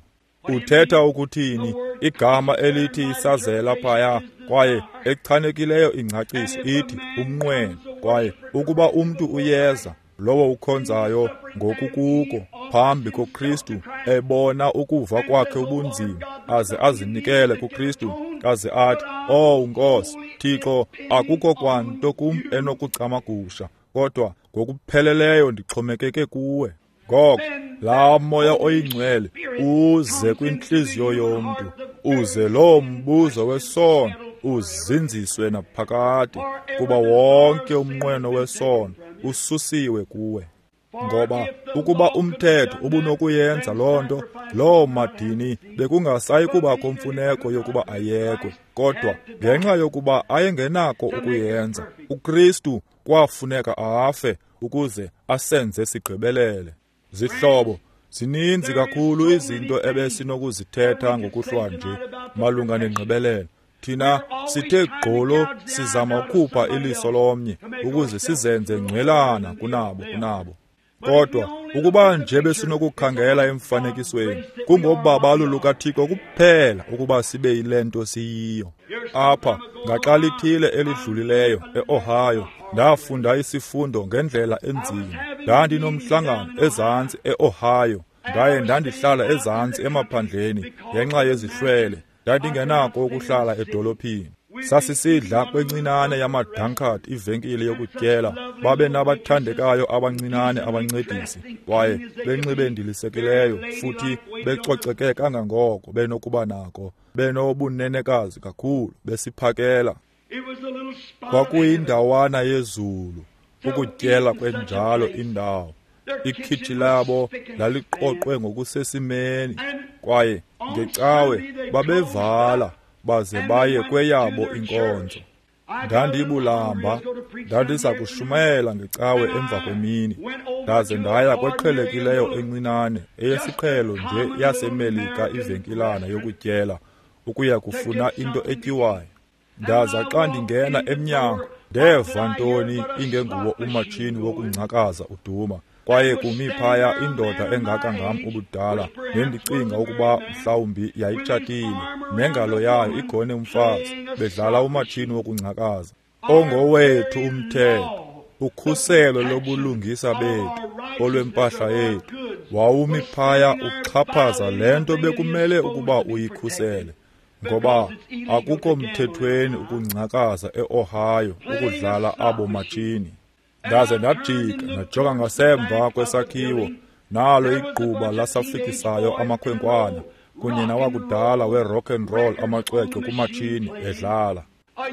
Uthetha ukuthini igama elithi isazela phaya? Kwaye echanekileyo ingcaciso ithi umnqweno. Kwaye ukuba umntu uyeza, lowo ukhonzayo ngokukuko phambi koKristu, ebona ukuva kwakhe ubunzima, aze azinikele kuKristu, aze athi, "Oh Nkosi Thixo, akukho kwanto kum enokucamagusha, kodwa ngokupheleleyo ndixhomekeke kuwe." Ngoko laa Moya oyiNgcwele uze kwintliziyo yomntu, uze loo mbuzo wesono uzinziswe naphakade, kuba wonke umnqweno wesono ususiwe kuwe. Ngoba ukuba umthetho ubunokuyenza loo nto, loo madini bekungasayi kubakho mfuneko yokuba ayekwe. Kodwa ngenxa yokuba ayengenako ukuyenza, uKristu kwafuneka afe ukuze asenze sigqibelele. Zihlobo, zininzi kakhulu izinto ebesinokuzithetha ngokuhlwa nje malunga nengqibelelo. Thina sithe gqolo sizama ukukhupha iliso lomnye ukuze sizenze ngcwelana kunabo. Kodwa ukuba nje besinokukhangela emfanekisweni, kungobabalo lukaThixo kuphela ukuba sibe yile nto siyiyo. Apha ngaxa lithile elidlulileyo eOhio, ndafunda isifundo ngendlela enzima. Ndandinomhlangano ezantsi eOhio, ndaye ndandihlala ezantsi emaphandleni ngenxa yezihlwele. Ndandingenako ukuhlala edolophini. Sasisidla kwencinane yamaDunkard ivenkile yokutyela. Babe nabathandekayo abancinane abancedisi, kwaye benxibe ndilisekileyo futhi becoceke kangangoko benokuba nako, benobunenekazi kakhulu besiphakela. Kwakuyindawana yezulu ukutyela kwenjalo indawo. Ikhitshi labo laliqoqwe ngokusesimeni, kwaye ngecawe babevala baze baye kweyabo inkonzo. Ndandibulamba, ndandiza kushumayela ngecawe emva kwemini, ndaze ndaya kweqhelekileyo encinane eyesiqhelo nje yaseMelika ivenkilana yokutyela ukuya kufuna into etyiwayo. Ndaza xa ndingena emnyango, ndeva ntoni ingenguwo umatshini wokungcakaza uduma, kwaye kumi phaya indoda engaka ngam ubudala, nendicinga ukuba mhlawumbi yayitshatile, nengalo yayo igone umfazi, bedlala umatshini wokungcakaza. Ongowethu umthetho, ukhuselo lobulungisa bethu, olwempahla yethu, wawumi phaya uxhaphaza le nto bekumele ukuba uyikhusele. Ngoba akukho mthethweni ukungcakaza eOhio ukudlala abo matshini. Ndaze ndajika ndajonga ngasemva kwesakhiwo, nalo igquba lasafikisayo amakhwenkwana kunye nawakudala we-rock and roll amacwecwe kumatshini edlala.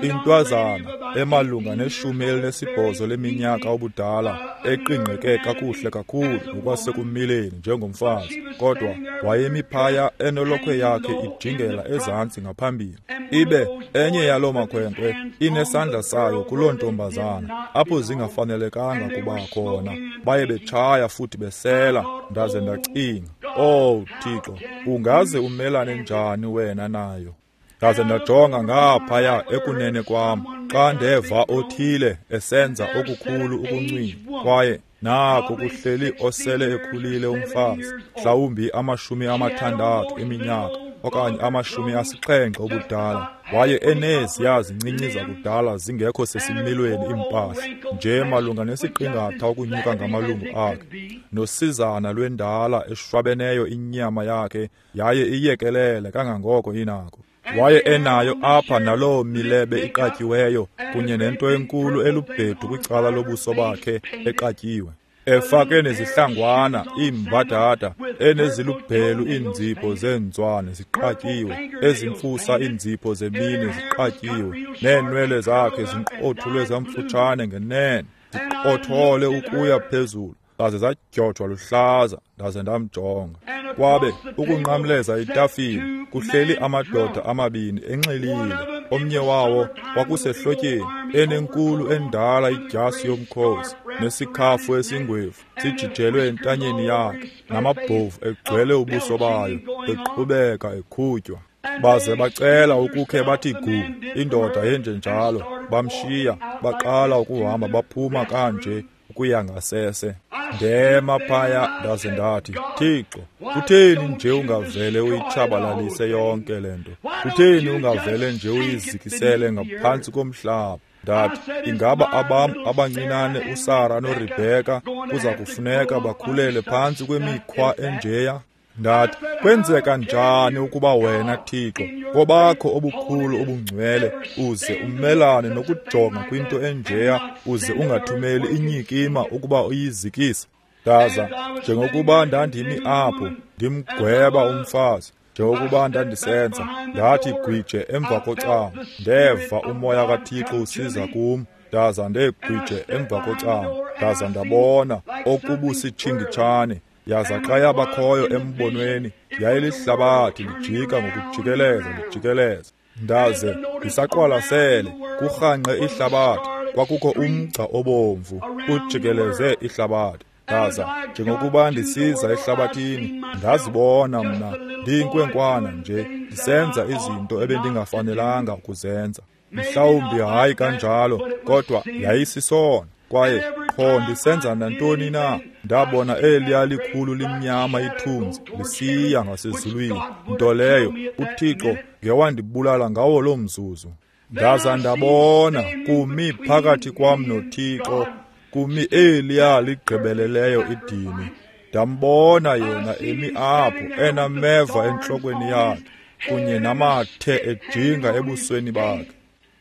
Intwazana emalunga ne-18 leminyaka ubudala, eqingqeke kakuhle kakhulu ngokwasekumileni njengomfazi, kodwa wayemi phaya enolokhwe yakhe ijingela ezantsi ngaphambili. Ibe enye yaloo makhwenkwe inesandla sayo kuloo ntombazana apho zingafanelekanga kuba khona. Baye betshaya futhi besela. Ndaze ndacinga, "Oh Thixo, ungaze umelane njani wena nayo?" Ndaze ndajonga ngaphaya ekunene kwam xa ndeva othile esenza okukhulu ukuncwina, kwaye nako kuhleli osele ekhulile umfazi, mhlawumbi 60 eminyaka okanye 70 ubudala. Waye eneziya zincinci zakudala zingekho sesimilweni iimpahla, nje malunga nesiqingatha ukunyuka ngamalungu akhe, nosizana lwendala eshwabeneyo inyama yakhe yaye iyekelele kangangoko inako. Waye enayo apha naloo milebe iqatyiweyo kunye nento enkulu elubhedu kwicala lobuso bakhe eqatyiwe, efake nezihlangwana iimbadada enezilubhelu iinzipho zeenzwane ziqatyiwe, ezimfusa iinzipho zemini ziqatyiwe, neenwele zakhe zinqothulwe zamfutshane ngenene, ziqothole ukuya phezulu, zaze zadyojwa luhlaza. Ndaze ndamjonga. Kwabe ukunqamleza itafile kuhleli amadoda amabini enxilile. Omnye wawo kwakusehlotyeni, enenkulu endala idyasi yomkhosi nesikhafu esingwevu sijijelwe entanyeni yakhe, namabhovu egcwele ubuso bayo, eqhubeka ekhutywa. Baze bacela ukukhe bathi gu, indoda yenjenjalo. Bamshiya, baqala ukuhamba baphuma kanje ukuya ngasese. Ndema phaya ndaze ndathi, "Thixo, kutheni nje ungavele uyitshabalalise yonke le nto? Kutheni ungavele nje uyizikisele ngaphantsi komhlaba?" Ndathi, "Ingaba abam abancinane uSara noRebheka kuza kufuneka bakhulele phantsi kwemikhwa enjeya?" Ndathi, "Kwenzeka njani ukuba wena Thixo, ngobakho obukhulu obungcwele, uze umelane nokujonga kwinto enjeya, uze ungathumeli inyikima ukuba uyizikise?" Ndaza njengokuba ndandimi apho ndimgweba umfazi, Njengokuba ndandisenza, ndathi gwije emva kocango, ndeva umoya kaThixo usiza kum, ndaza ndegwije emva kocango, ndaza ndabona okubusitshingitshane. Yaza xa yabakhoyo embonweni, yayilihlabathi lijika ngokujikeleza lijikeleza. Ndaze ndisaqwalasele, kurhangqe ihlabathi, kwakukho umgca obomvu ujikeleze ihlabathi. Ndaza njengokuba ndisiza ehlabathini, ndazibona mna ndiyinkwenkwana nje ndisenza izinto ebendingafanelanga ukuzenza. Mhlawumbi hayi kanjalo, kodwa yayisisona. Kwaye qho ndisenza nantoni na, ndabona eliya likhulu limnyama ithunzi lisiya ngasezulwini, nto leyo uThixo ngewandibulala ngawo loo mzuzu. Ndaza ndabona kumi phakathi kwam noThixo, kumi eliya ligqibeleleyo idini. Ndambona yena emi apho enameva entlokweni yakhe kunye namathe ejinga ebusweni bakhe.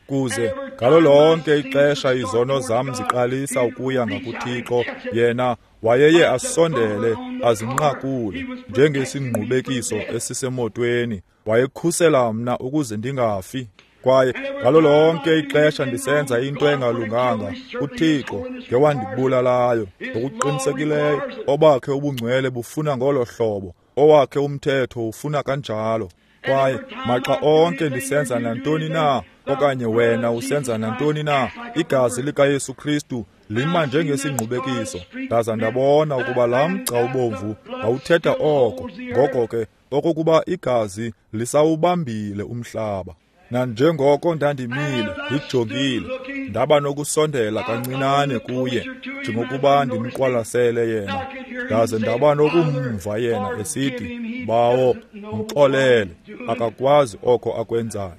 Kuze ngalo lonke ixesha izono zam ziqalisa ukuya ngakuThixo, yena wayeye asondele azinqakule njengesingqubekiso esisemotweni. Wayekhusela mna ukuze ndingafi. Kwaye ngalo lonke ixesha ndisenza into engalunganga, uThixo ngewandibulalayo. Ngokuqinisekileyo obakhe ubungcwele bufuna ngolo hlobo, owakhe umthetho ufuna kanjalo. Kwaye maxa onke ndisenza nantoni na, okanye wena usenza nantoni na, igazi likaYesu Kristu lima njengesingqubekiso. Ndaza ndabona ukuba laa mgca ubomvu wawuthetha oko, ngoko ke okokuba igazi lisawubambile umhlaba. Nanjengoko ndandimile ndijongile, ndaba nokusondela kancinane kuye njengokuba ndimqwalasele yena. Ndaze ndaba nokumva yena esithi, Bawo, mxolele, akakwazi oko akwenzayo.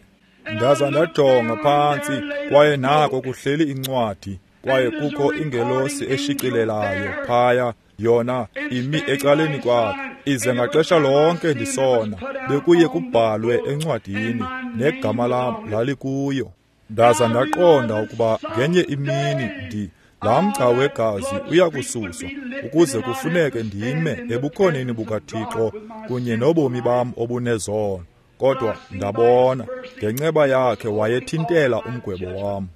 Ndaza ndajonga phantsi, kwaye nako kuhleli incwadi, kwaye kukho ingelosi eshicilelayo phaya, yona imi ecaleni kwakhe. Ize ngaxesha lonke ndisona, bekuye kubhalwe encwadini, negama lam lalikuyo. Ndaza ndaqonda ukuba ngenye imini laa mgca wegazi uyakususwa, ukuze kufuneke ndime ebukhoneni bukaThixo kunye nobomi bam obunezono. Kodwa ndabona ngenceba yakhe wayethintela umgwebo wam.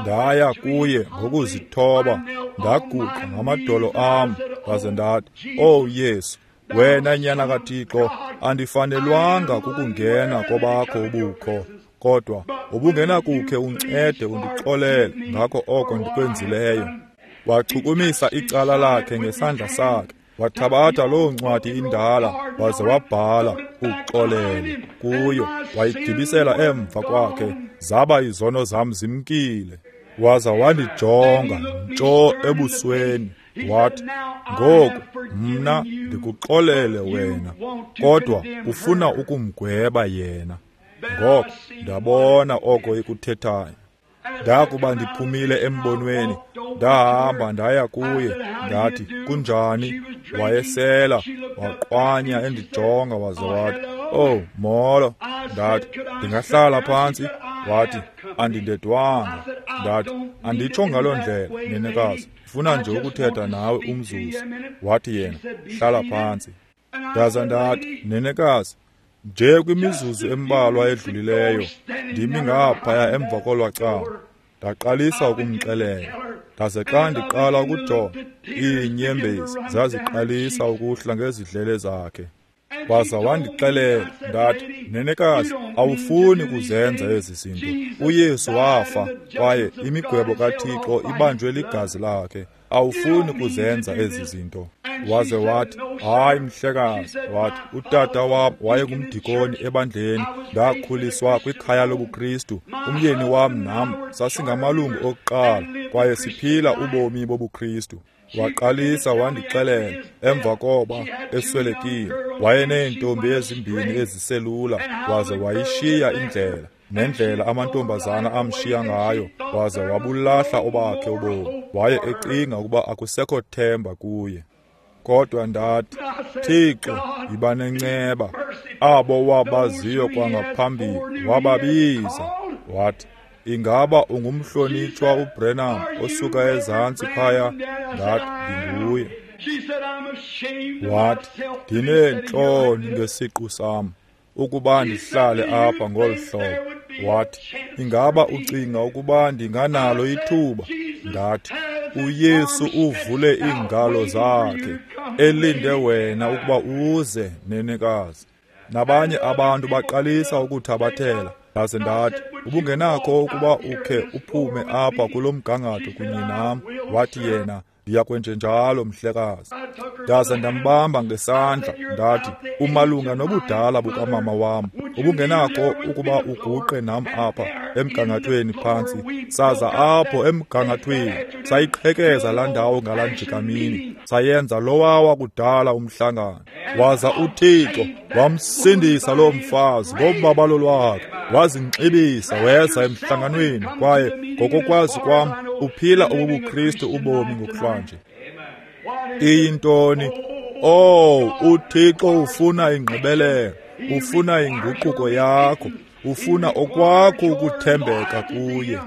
Ndaya kuye ngokuzithoba, ndaguqa ngamadolo am, ndaze ndathi, "Oh Yesu, wena nyana kaThixo, andifanelwanga kukungena kobakho ubukho, kodwa ubungenakukhe uncede undixolele ngako oko ndikwenzileyo." Wachukumisa icala lakhe ngesandla sakhe, wathabatha loo ncwadi indala, waze wabhala uxolele kuyo, wayigibisela emva kwakhe, zaba izono zam zimkile. Waza wandijonga ntsho ebusweni, wathi, "Ngoku mna ndikuxolele wena, kodwa ufuna ukumgweba yena." Ngoko ndabona oko ikuthethayo. Ndakuba ndiphumile embonweni, ndahamba ndaya kuye, ndathi, "Kunjani?" Wayesela, waqwanya endijonga, waze wathi, "Oh, molo." Ndathi, "Ndingahlala phantsi?" Wathi, "Andindedwanga." Ndathi, "Anditsho ngaloo ndlela, nenekazi, ndifuna nje ukuthetha nawe umzuzu." Wathi yena, "Hlala phantsi." Ndaza ndathi, "Nenekazi, nje kwimizuzu embalwa edlulileyo ndimi ngaphaya emva kolwa cango, ndaqalisa ukumxelela. Ndaze xa ndiqala ukujonga, iinyembezi zaziqalisa ukuhla ngezidlele zakhe. Waza wandixelela, ndathi, "Nenekazi, awufuni kuzenza ezi zinto. uYesu wafa, kwaye imigwebo kaThixo ibanjwe ligazi lakhe. Awufuni kuzenza ezi zinto." Waze wathi, "Hayi mhlekazi." Wathi, "Utata wam wayengumdikoni ebandleni, ndakhuliswa kwikhaya lobuKristu. Umyeni wam nam sasingamalungu okuqala, kwaye siphila ubomi bobuKristu." Waqalisa wandixelela emva koba eswelekile, wayeneentombi ezimbini eziselula, waze wayishiya indlela, nendlela amantombazana amshiya ngayo, waze wabulahla obakhe ubomi. Waye ecinga ukuba akusekho themba kuye. Kodwa ndathi, "Thixo, yiba nenceba. Abo wabaziyo kwangaphambili wababiza." Wathi, "Ingaba ungumhlonitshwa uBrenham osuka ezantsi phaya?" Ndathi, "Ndinguye." Wathi, "Ndineentloni ngesiqu sam. ukuba ndihlale apha ngolu hlobo. Wathi, ingaba ucinga ukuba ndinganalo ithuba? Ndathi, uYesu uvule iingalo zakhe, elinde wena ukuba uze, nenekazi. Nabanye abantu baqalisa ukuthabathela. Ndaze ndathi, ubungenakho ukuba ukhe uphume apha kulo mgangatho kunye nam? Wathi yena, ndiyakwenjenjalo, mhlekazi. Ndaze ndambamba ngesandla, ndathi, umalunga nobudala bukamama wam, ubungenakho ukuba uguqe nam apha emgangathweni phantsi. Saza apho emgangathweni sayiqhekeza laa ndawo ngalaa njikamini, sayenza lowa wakudala umhlangano. Waza uThixo wamsindisa loo mfazi ngobabalo lwakhe, wazinxibisa weza emhlanganweni, kwaye ngokokwazi kwam uphila obubuKristu ubomi ngokuhlwanje. Iyintoni? Oh, uThixo ufuna ingqibelelo, ufuna inguquko yakho, ufuna okwakho ukuthembeka kuye.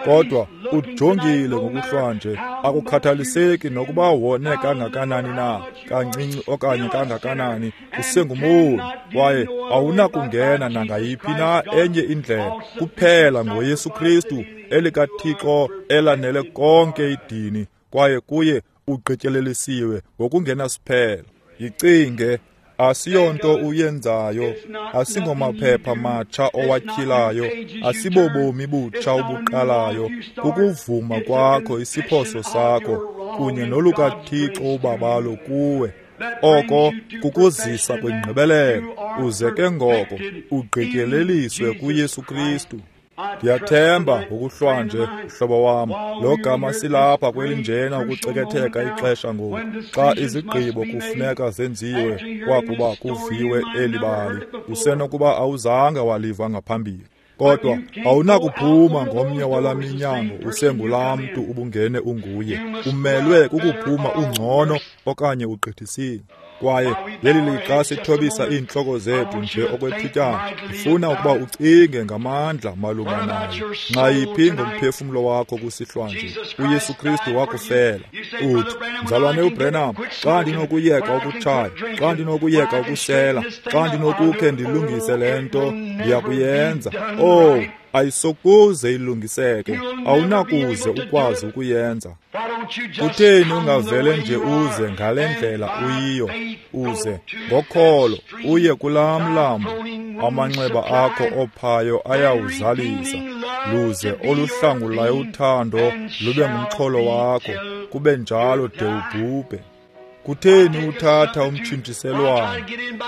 Kodwa ujongile ngokuhlwanje, akukhathaliseki nokuba wone kangakanani na, kancinci okanye kangakanani, usengumoni, kwaye awunakungena nangayiphi na enye indlela kuphela ngoYesu Kristu, elikaThixo elanele konke idini, kwaye kuye ugqityelelisiwe ngokungenasiphelo. Yicinge, asiyonto uyenzayo, asingomaphepha matsha owatyhilayo, asibobomi butsha obuqalayo, kukuvuma kwakho isiphoso sakho kunye nolukaThixo ubabalo kuwe. Oko kukuzisa kwingqibelelo, uze ke ngoko ugqityeleliswe kuYesu Kristu. Ndiyathemba ngokuhlwanje, mhlobo wam, lo gama silapha kwelinjena ukuceketheka ixesha ngoku, xa izigqibo kufuneka zenziwe kwakuba kuviwe eli bali, usenokuba awuzange waliva ngaphambili. Kodwa awunakuphuma ngomnye wala minyango usengulaa mntu ubungene unguye. Umelwe kukuphuma ungcono okanye ugqithisile. Kwaye leli lixa sithobisa iintloko zethu nje okwethutyana, ndifuna ukuba ucinge ngamandla malunga nayo. Nxayiphi ngomphefumlo wakho kusihlwanje? uYesu Kristu wakufela. Uthi, mzalwane uBrenham, xa ndinokuyeka ukutshaya, xa ndinokuyeka ukusela, xa ndinokukhe ndilungise le nto, ndiyakuyenza. Oh, ayisokuze ilungiseke, awunakuze ukwazi ukuyenza. Kutheni ungavele nje uze ngale ndlela uyiyo, uze ngokholo uye kulaa mlambo, amanxeba akho ophayo ayawuzalisa, luze oluhlangulayo uthando lube ngumxholo wakho, kube njalo de ubhubhe. Kutheni uthatha umtshintshiselwano?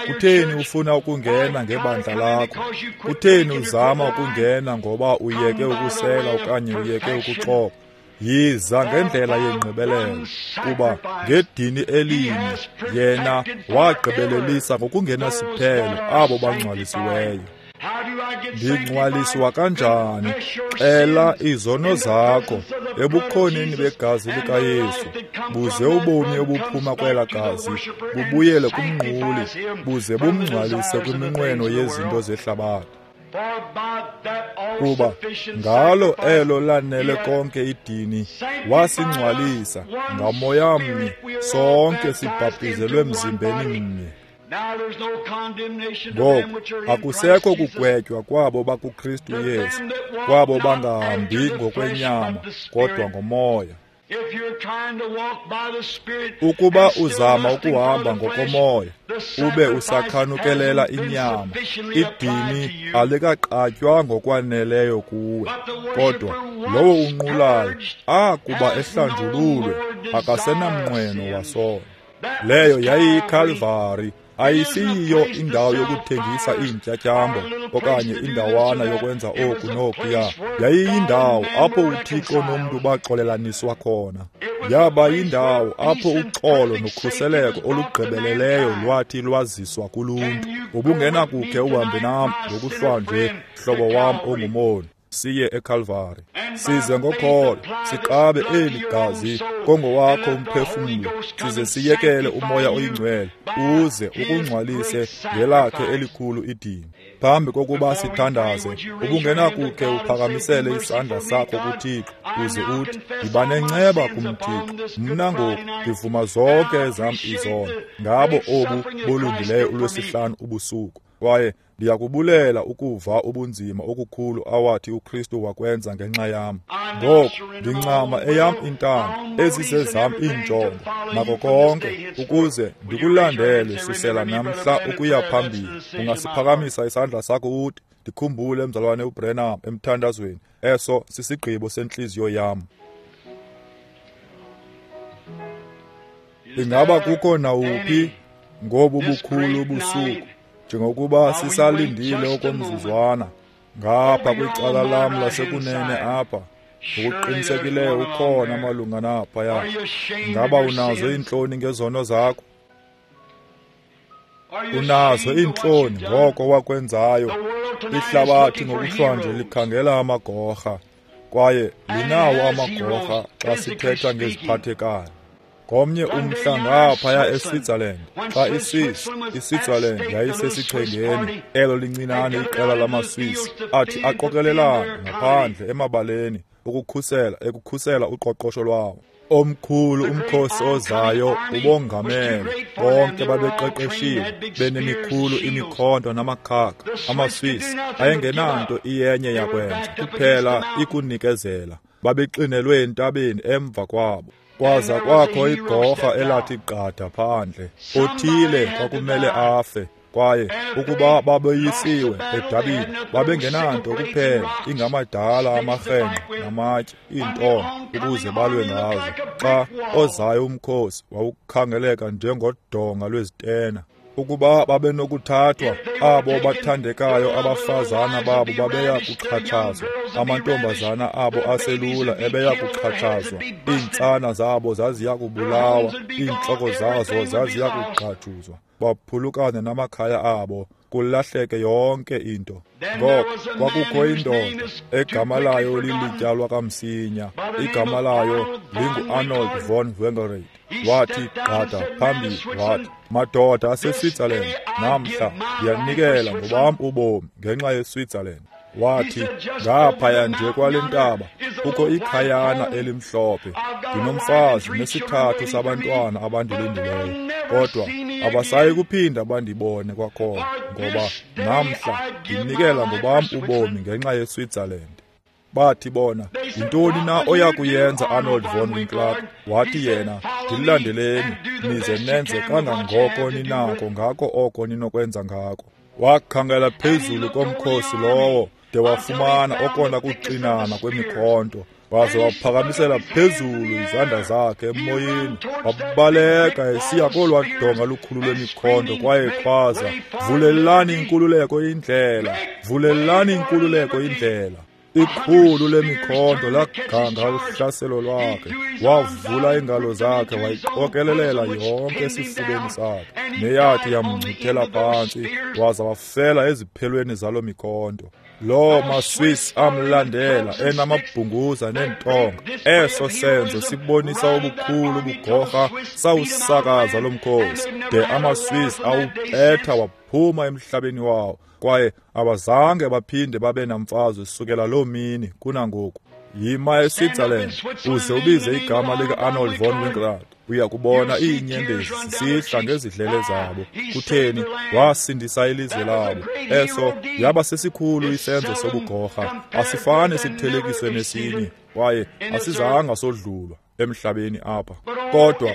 Kutheni ufuna ukungena ngebandla lakho? Kutheni uzama ukungena ngoba uyeke ukusela okanye uyeke ukuxoka? Yiza ngendlela yengqibelelo, kuba ngedini elinye yena wagqibelelisa ngokungenasiphelo abo bangcwalisiweyo. Ndingcwaliswa kanjani? Xela izono zakho ebukhoneni begazi likaYesu, buze ubomi obuphuma kwela gazi bubuyele kumnquli, buze bumngcwalise kwiminqweno yezinto zehlabathi. Kuba ngalo elo lanele konke idini, wasingcwalisa ngamoya mnye, sonke sibhaptizelwe mzimbeni mnye. Ngoku akusekho kugwetywa kwabo bakuKristu Yesu, kwabo bangahambi ngokwenyama kodwa ngomoya. Ukuba uzama ukuhamba ngokomoya ube usakhanukelela inyama, idini alikaqatywa ngokwaneleyo kuwe. Kodwa lowo unqulayo akuba ehlanjululwe akasenamnqweno wasono. Leyo yayiyiKalvari, ayisiyiyo indawo yokuthengisa iintyatyambo okanye indawana yokwenza oku nokuya. Yayiyindawo apho uThixo nomntu baxolelaniswa khona. Yaba yindawo apho uxolo nokhuseleko olugqibeleleyo lwathi lwaziswa kuluntu. Ubungenakukhe uhambe nam ngokuhlwanje, mhlobo wam ongumoni, siye eKalvari, size ngokholo siqabe eli gazi kongowakho umphefumlo, size siyekele umoya oyingcwele uze ukungcwalise ngelakhe elikhulu idini. Phambi kokuba sithandaze, ubungenakukhe uphakamisele isandla sakho kuThixo uze uthi, yiba nenceba kumThixo, mna ngoku ndivuma zonke ezam izono ngabo obu bulungileyo uLwesihlanu ubusuku. Kwaye ndiyakubulela ukuva ubunzima okukhulu awathi uKristu wakwenza ngenxa yam. Ngoku ndincama eyam intando, ezizezam iinjongo, nako konke, ukuze ndikulandele susela namhla ukuya phambili. Ungasiphakamisa isandla sakho uthi, ndikhumbule mzalwane uBrenham emthandazweni. Eso sisigqibo sentliziyo yam. Ingaba kukho nawuphi ngobu bukhulu busuku, njengokuba sisalindile okomzuzwana ngapha kwicala lam lasekunene apha, ngokuqinisekileyo ukhona malunga naphaya. Ingaba unazo iintloni ngezono zakho? Unazo iintloni ngoko wakwenzayo? Ihlabathi ngokuhlwanje likhangela amagorha, kwaye linawo amagorha xa sithetha ngeziphathekayo. Ngomnye umhla ngaphaya eSwitzerland, xa iSwitzerland yayisesichengeni, elo lincinane iqela lamaSwiss athi aqokelelana ngaphandle emabaleni ekukhusela uqoqosho lwawo. Omkhulu umkhosi ozayo ubongamele, bonke babeqeqeshiwe, benemikhulu imikhonto namakhaka. AmaSwiss ayengenanto iyenye yakwenza, kuphela ikunikezela. Babexinelwe entabeni emva kwabo. Kwaza kwakho igorha elathi gqada phandle, othile kwakumele afe. Kwaye ukuba babeyisiwe edabini, babengenanto kuphela ingamadala amarhenqe namatye, iintonga ukuze balwe ngazo. Xa ozayo umkhosi wawukhangeleka njengodonga lwezitena. Ukuba babenokuthathwa, abo bathandekayo abafazana babo babeya kuxhatshazwa, amantombazana abo aselula ebeya kuxhatshazwa, iintsana zabo zaziya kubulawa, iintloko zazo zaziya kugqathuzwa, baphulukane namakhaya abo, kulahleke yonke into. Ngoko kwakukho indoda egama layo lilityalwa kamsinya, igama layo lingu-Arnold von Winkelried. Wathi gqada phambili wathi, madoda aseSwitzerland, namhla ndiyanikela ngobam ubomi ngenxa yeSwitzerland. Wathi, ngaphaya nje kwale ntaba kukho ikhayana elimhlophe, ndinomfazi nesithathu sabantwana abandilindileyo, kodwa abasayi kuphinda bandibone kwakhona, ngoba namhla ndinikela ngobam ubomi ngenxa yeSwitzerland. Bathi bona, yintoni na oya kuyenza Arnold von Winkelried? Wathi yena, ndilandeleni nize nenze kangangoko ninako ngako oko ninokwenza ngako. Wakhangela phezulu komkhosi lowo de wafumana okona kuxinana kwemikhonto, waze waphakamisela phezulu izandla zakhe emoyeni, wabaleka esiya kolwa donga lukhulu lwemikhonto, kwaye khwaza, vulelani inkululeko indlela, vulelani inkululeko indlela. Ikhulu lemikhonto laganga uhlaselo lwakhe, wavula iingalo zakhe wayiqokelelela yonke esifubeni sakhe, neyathi yamngcuthela phantsi, waza wafela eziphelweni zalo mikhonto. Loo maSwiss amlandela enamabhunguza neentonga. Eso senzo sibonisa ubukhulu ubugorha sawusakaza lo mkhosi, de amaSwiss awuphetha waphuma emhlabeni wawo, kwaye abazange baphinde babe namfazwe sukela loo mini kunangoku. Yima eSwitzerland uze ubize igama lika-Arnold von Winkelried, uya kubona iinyembezi zisihla ngezidlele zabo. Kutheni? Wasindisa ilizwe labo. Eso yaba sesikhulu isenzo sobugorha, asifane sithelekiswe nesinye, kwaye asizanga sodlulwa emhlabeni apha. Kodwa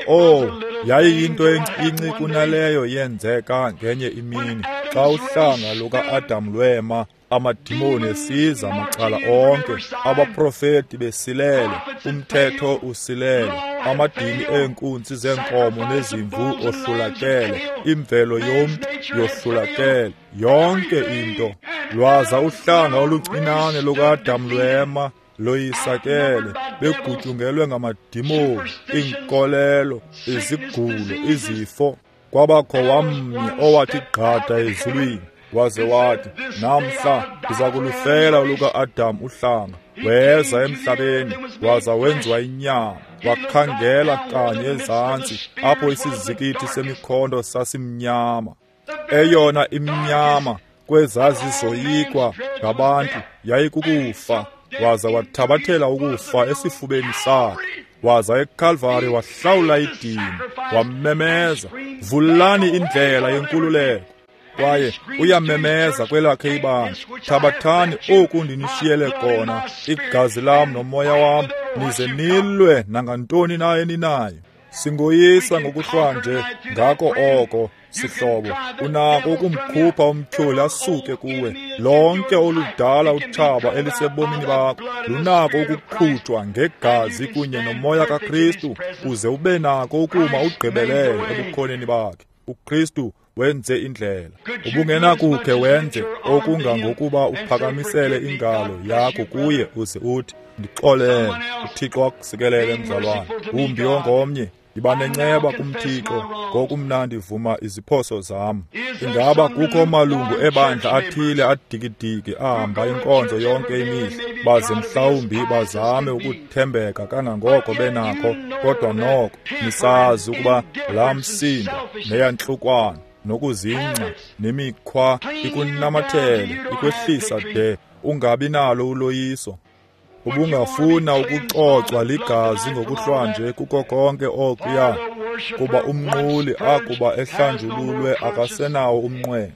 yayiyinto encinci kunaleyo yenzeka ngenye imini xa uhlanga luka-Adam lwema, amadimoni esiza macala onke, abaprofeti besilele, umthetho usilele, amadini eenkunzi zeenkomo nezimvu ohlulakele, imvelo yomntu yohlulakele, yonke into. Lwaza uhlanga oluncinane luka-Adam lwema loyisakele, begutyungelwe ngamadimoni, iinkolelo, izigulo, izifo. Kwabakho wamnye owathi gqada ezulwini, waze wathi, namhla ndiza kulufela oluka-Adam uhlanga. Weza emhlabeni, waza wenziwa inyama, wakhangela kanye ezantsi apho isizikithi semikhonto sasimnyama. Eyona imnyama kwezazizoyikwa ngabantu yayikukufa, waza wathabathela ukufa esifubeni sakhe. Waza eKalvari wahlawula idini, wamemeza, vulani indlela yenkululeko. Kwaye uyamemeza kwelakhe ibandla, thabathani oku ndinishiyele kona, igazi lam nomoya wam, nize nilwe nangantoni na eninayo. Singoyisa ngokuhlwanje ngako oko, sihlobo. Unako ukumkhupha umtyholi asuke kuwe. Lonke oludala utshaba elisebomini bakho lunako ukukhutshwa ngegazi kunye nomoya kaKristu, uze ube nako ukuma ugqibelele ebukhoneni bakhe. uKristu wenze indlela. Ubungenakukhe wenze okungangokuba uphakamisele ingalo yakho kuye uze uthi, ndixolele. uThixo akusikelele, mzalwane. Wumbi ongomnye, yiba nenceba kumThixo ngoku mna ndivuma iziphoso zam. Ingaba kukho malungu ebandla athile adikidiki ahamba inkonzo yonke imihla, baze mhlawumbi bazame ukuthembeka kangangoko benakho, kodwa noko nisazi ukuba laa msindo neyantlukwana nokuzingca nemikhwa ikunamathele ikwehlisa de ungabi nalo uloyiso. Ubungafuna ukucocwa ligazi ngokuhlwanje kuko konke okuya, kuba umnquli akuba ehlanjululwe akasenawo umnqweno.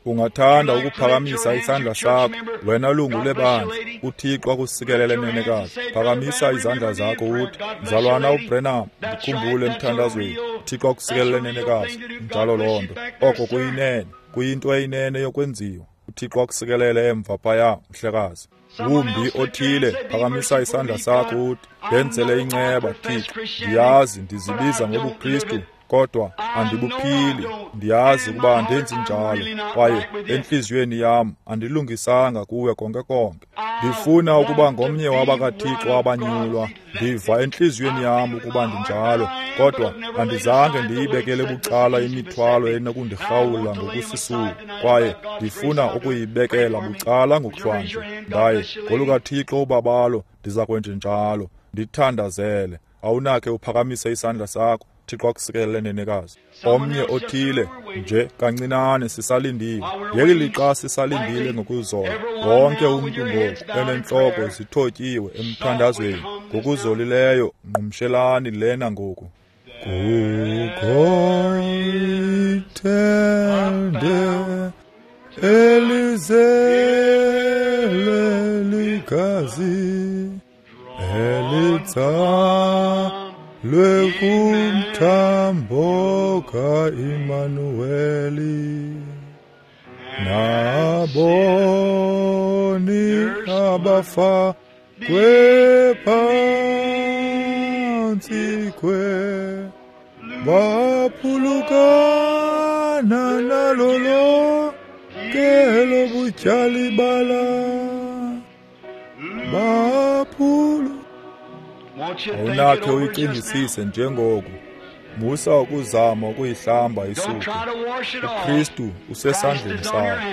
Ungathanda ukuphakamisa isandla sakho, wena lungu lebandla. uThixo akusikelele, nenekazi. Phakamisa izandla zakho uthi, mzalwana uBrenham, ndikhumbule emthandazweni. uThixo akusikelele, nenekazi. Njalo loo nto. Oko kuyinene, kuyinto eyinene yokwenziwa. uThixo akusikelele emva phaya, mhlekazi. Wumbi othile, phakamisa isandla sakho uthi, ndenzele inceba, Thixo. Ndiyazi ndizibiza ngobuKristu, kodwa andibuphili. Ndiyazi ukuba andenzi njalo, kwaye entliziyweni yam andilungisanga kuwe konke konke. Ndifuna ukuba ngomnye wabakaThixo abanyulwa. Ndiva entliziyweni yam ukuba ndinjalo, kodwa andizange ndiyibekele bucala imithwalo enokundirhawula ngokusisulu, kwaye ndifuna ukuyibekela bucala ngokuhlwanje. Ndaye ngolukaThixo ubabalo ndiza kwenjenjalo. Ndithandazele. Awunakhe uphakamise isandla sakho. Thixo akusikelele, nenekazi. Omnye othile nje kancinane, sisalindile. Ngeli lixa sisalindile ngokuzola, wonke umntu ngoku enentloko zithotyiwe emthandazweni ngokuzolileyo, ngqumshelani lena ngoku. Kukho ithende elizele ligazi elitsalwe kumthambo kaImanuweli, naboni abafa kwephantsi kwe baphulukana nalo lonke lobutyali bala baphulu. Awunakhe uyicingisise njengoku. Musa ukuzama ukuyihlamba isuke. uKristu usesandleni sakho.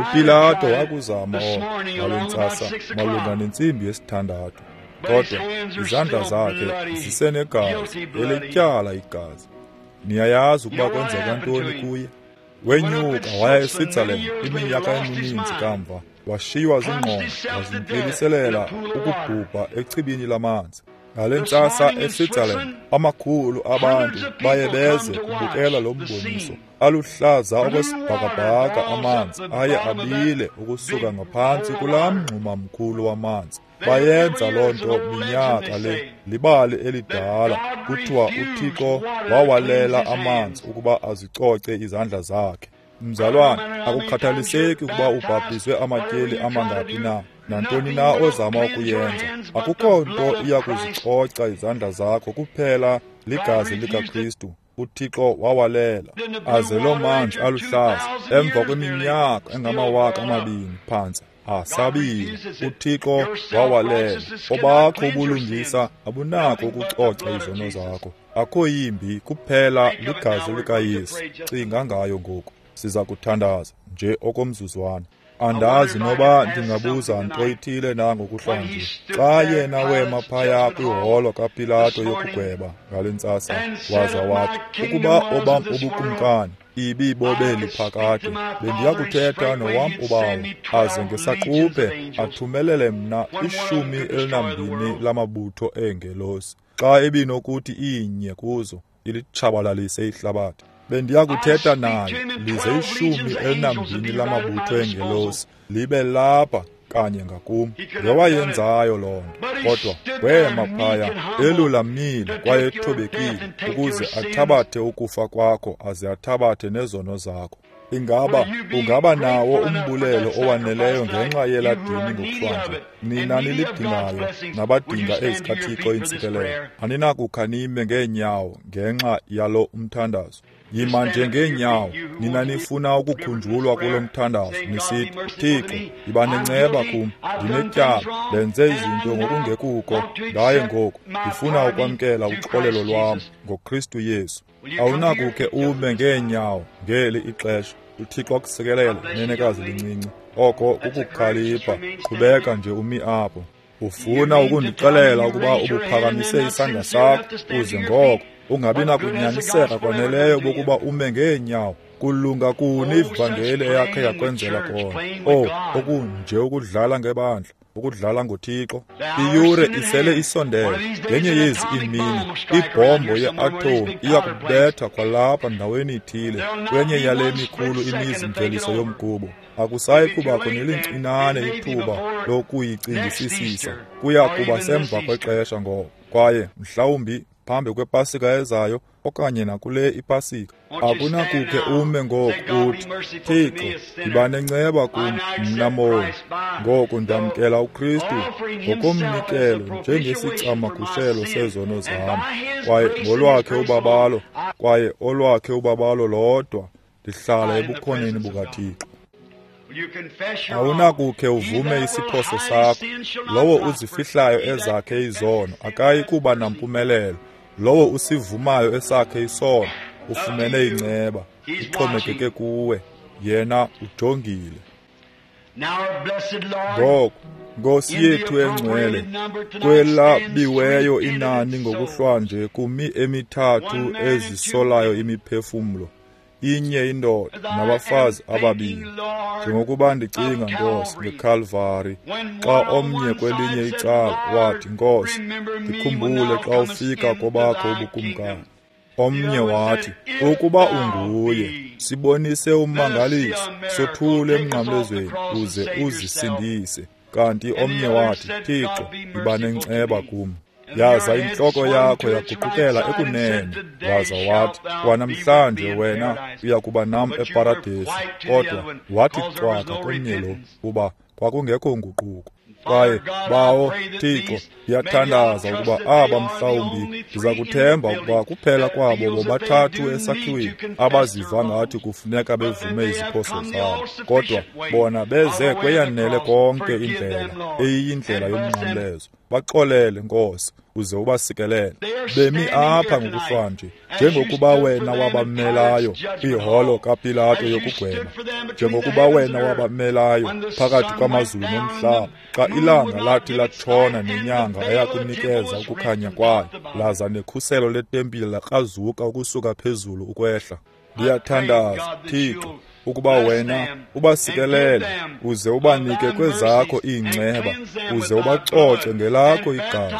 uPilato wakuzama oko ngale ntsasa malunga nentsimbi yesithandathu, kodwa izandla zakhe zisenegazi, elityala igazi. Niyayazi ukuba kwenzeka ntoni kuye? Wenyuka waya eSwitzerland iminyaka emininzi kamva, washiywa zingqondo, wazimpiliselela ukubhubha echibini lamanzi. Ngale ntsasa eSwitzerland, amakhulu abantu baye beze kubukela lo mboniso. Aluhlaza okwesibhakabhaka amanzi aye abile ukusuka ngaphantsi kulaa mngxuma mkhulu wamanzi. Bayenza loo nto minyaka le. Libali elidala, kuthiwa uThixo wawalela amanzi ukuba azicoce izandla zakhe. Mzalwane, akukhathaliseki ukuba ubhaptizwe amatyeli amangaphi na, nantoni na ozama ukuyenza, akukho nto iya kuzicoca izandla zakho kuphela ligazi likaKristu. uThixo wawalela aze loo manzi aluhlaza emva kweminyaka engamawaka amabini phantsi asabile. uThixo wawalela. Obakho ubulungisa abunako ukucoca izono zakho. Akho yimbi kuphela ligazi likaYesu. Cinga ngayo ngoku. Siza kuthandaza nje okomzuzwana. Andazi noba ndingabuza nto ithile na ngokuhlwanje. Xa yena wema phaya kwiholo kaPilato yokugweba ngale ntsasa, waza wathi, ukuba obam ubukumkani ibibobe phakade, bendiya kuthetha nowam ubawo, aze ngesaquphe athumelele mna 12 lamabutho eengelosi, xa ebinokuthi inye kuzo ilitshabalalise ihlabathi. Bendiyakuthetha naye lize 12 lamabutho engelosi libe lapha kanye ngakum. Ngewayenzayo loo nto, kodwa wema phaya elulamile kwaye ethobekile ukuze athabathe ukufa kwakho aze athabathe nezono zakho. Ingaba ungaba nawo umbulelo owaneleyo ngenxa yela dini ngokuhlwanje? Nina nilidingayo nabadinga ezikaThixo iintsikelelo, aninakukha nime ngeenyawo ngenxa yalo umthandazo. Yima nje ngeenyawo, nina nifuna ukukhunjulwa kulo mthandazo, nisithi, Thixo, yiba nenceba kum, ndinetyala, ndenze izinto ngokungekuko, ndaye ngoku ndifuna ukwamkela uxolelo lwam ngoKristu Yesu. Awunakukhe ume ngeenyawo ngeli ixesha. UThixo akusikelele, nenekazi lincinci. Oko kukukhalipha. Qhubeka nje umi apho. Ufuna ukundixelela ukuba ubuphakamise isandla sakho uze ngoko ungabi nakunyaniseka kwaneleyo bokuba ume ngeenyawo? Kulunga kuni ivangeli eyakhe yakwenzela kona? Okunje ukudlala ngebandla, ukudlala ngoThixo. Iyure isele isondele. Ngenye yezi iimini ibhombo ye-atom iya kubetha kwalapha ndaweni ithile kwenye yale mikhulu imizi-mveliso yomgubo. Akusayi kubakho nelincinane ithuba lokuyicingisisisa. Kuya kuba semva kwexesha ngoko, kwaye mhlawumbi phambi kwepasika ezayo okanye nakule ipasika. Akunakukhe ume ngoku uthi, Thixo, yiba nenceba kum, mna moni. Ngoku ndamkela uKristu ngokomnikelo njengesicamagushelo sezono zam, kwaye ngolwakhe ubabalo, kwaye olwakhe ubabalo lodwa, ndihlala ebukhoneni bukaThixo. Awunakukhe uvume isiphoso sakho. Lowo uzifihlayo ezakhe izono akayi kuba nampumelelo. Lowo usivumayo esakhe isono ufumene inceba. Ixhomekeke kuwe, yena ujongile. Ngoku, Nkosi yethu engcwele, kwelabiweyo inani ngokuhlwanje kumi emithathu ezisolayo imiphefumlo, inye indoda nabafazi ababini. Njengokuba ndicinga, Nkosi, ngeKalvari, xa omnye kwelinye icala wathi, Nkosi, ndikhumbule xa ufika kobakho ubukumkani. Omnye wathi, ukuba unguye, sibonise ummangaliso, sothule emnqamlezweni uze uzisindise. Kanti omnye wathi, Thixo, yiba nenceba kum. Yaza intloko yakho yaguqukela ekunene, waza wathi, kwanamhlanje wena uya kuba nam eParadesi. Kodwa wathi cwaka komnye lo, kuba kwakungekho nguquko. Kwaye Bawo Thixo, ndiyathandaza ukuba aba mhlawumbi ndiza kuthemba ukuba kuphela kwabo bobathathu esakhiweni abaziva ngathi kufuneka bevume iziphoso zabo, kodwa bona beze kweyanele konke indlela eyiyindlela yomnqamlezo. Baxolele, Nkosi, uze ubasikelele. Bemi apha ngokuhlwanje, njengokuba wena wabamelayo kwiholo kaPilato yokugweba, njengokuba wena wabamelayo phakathi kwamazulu nomhlaba, xa ilanga lathi latshona nenyanga eyakunikeza ukukhanya kwayo, laza nekhuselo letempile lakrazuka ukusuka phezulu ukwehla. Ndiyathandaza, Thixo, ukuba wena ubasikelele uze ubanike kwezakho iinceba, uze ubacoce ngelakho igazi,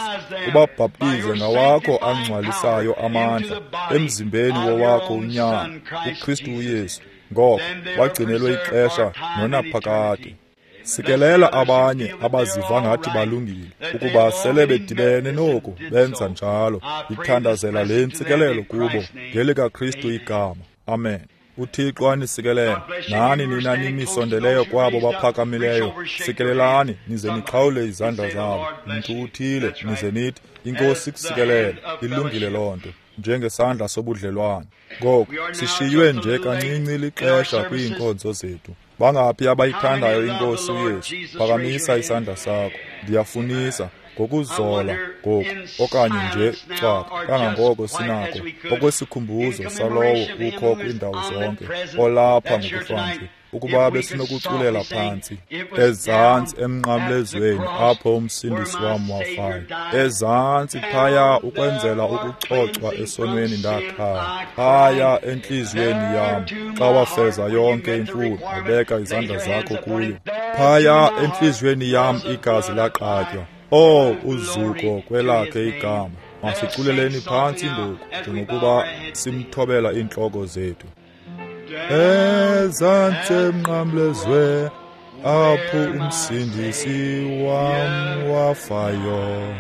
ubabhaptize ngawakho angcwalisayo amandla emzimbeni wowakho unyana, uKristu uYesu. Ngoko bagcinelwe ixesha nonaphakade. Sikelela abanye abaziva ngathi balungile, ukuba sele bedibene noku benza njalo. Ndithandazela le ntsikelelo kubo ngelikaKristu igama. Amen. UThixo anisikelele. Nani nina nimisondeleyo kwabo baphakamileyo, sikelelani nize nixhawule izandla zabo. Mntu uthile nize nithi, iNkosi ikusikelele. Ilungile loo nto, njengesandla sobudlelwane. Ngoku sishiywe nje kancinci lixesha kwiinkonzo zethu. Bangaphi abayithandayo iNkosi uYesu? Phakamisa isandla sakho. Ndiyafunisa ngokuzola ngoku, okanye nje cwaka kangangoko sinako, okwesikhumbuzo salowo ukho kwiindawo zonke, olapha ngokuhlwanje, ukuba besinokuculela phantsi ezantsi emnqamlezweni apho umsindisi wam wafayo, ezantsi phaya ukwenzela ukucocwa esonweni ndakhala, phaya entliziyweni yam xa wafeza yonke imfuno wabeka izandla zakho kuyo, phaya entliziyweni yam igazi laqatywa. Oh, uzuko kwelakhe igama. Masiculeleni phantsi ngoku njengokuba simthobela iintloko zethu. Ezantsi emnqamlezwe apho umsindisi wam wafayo,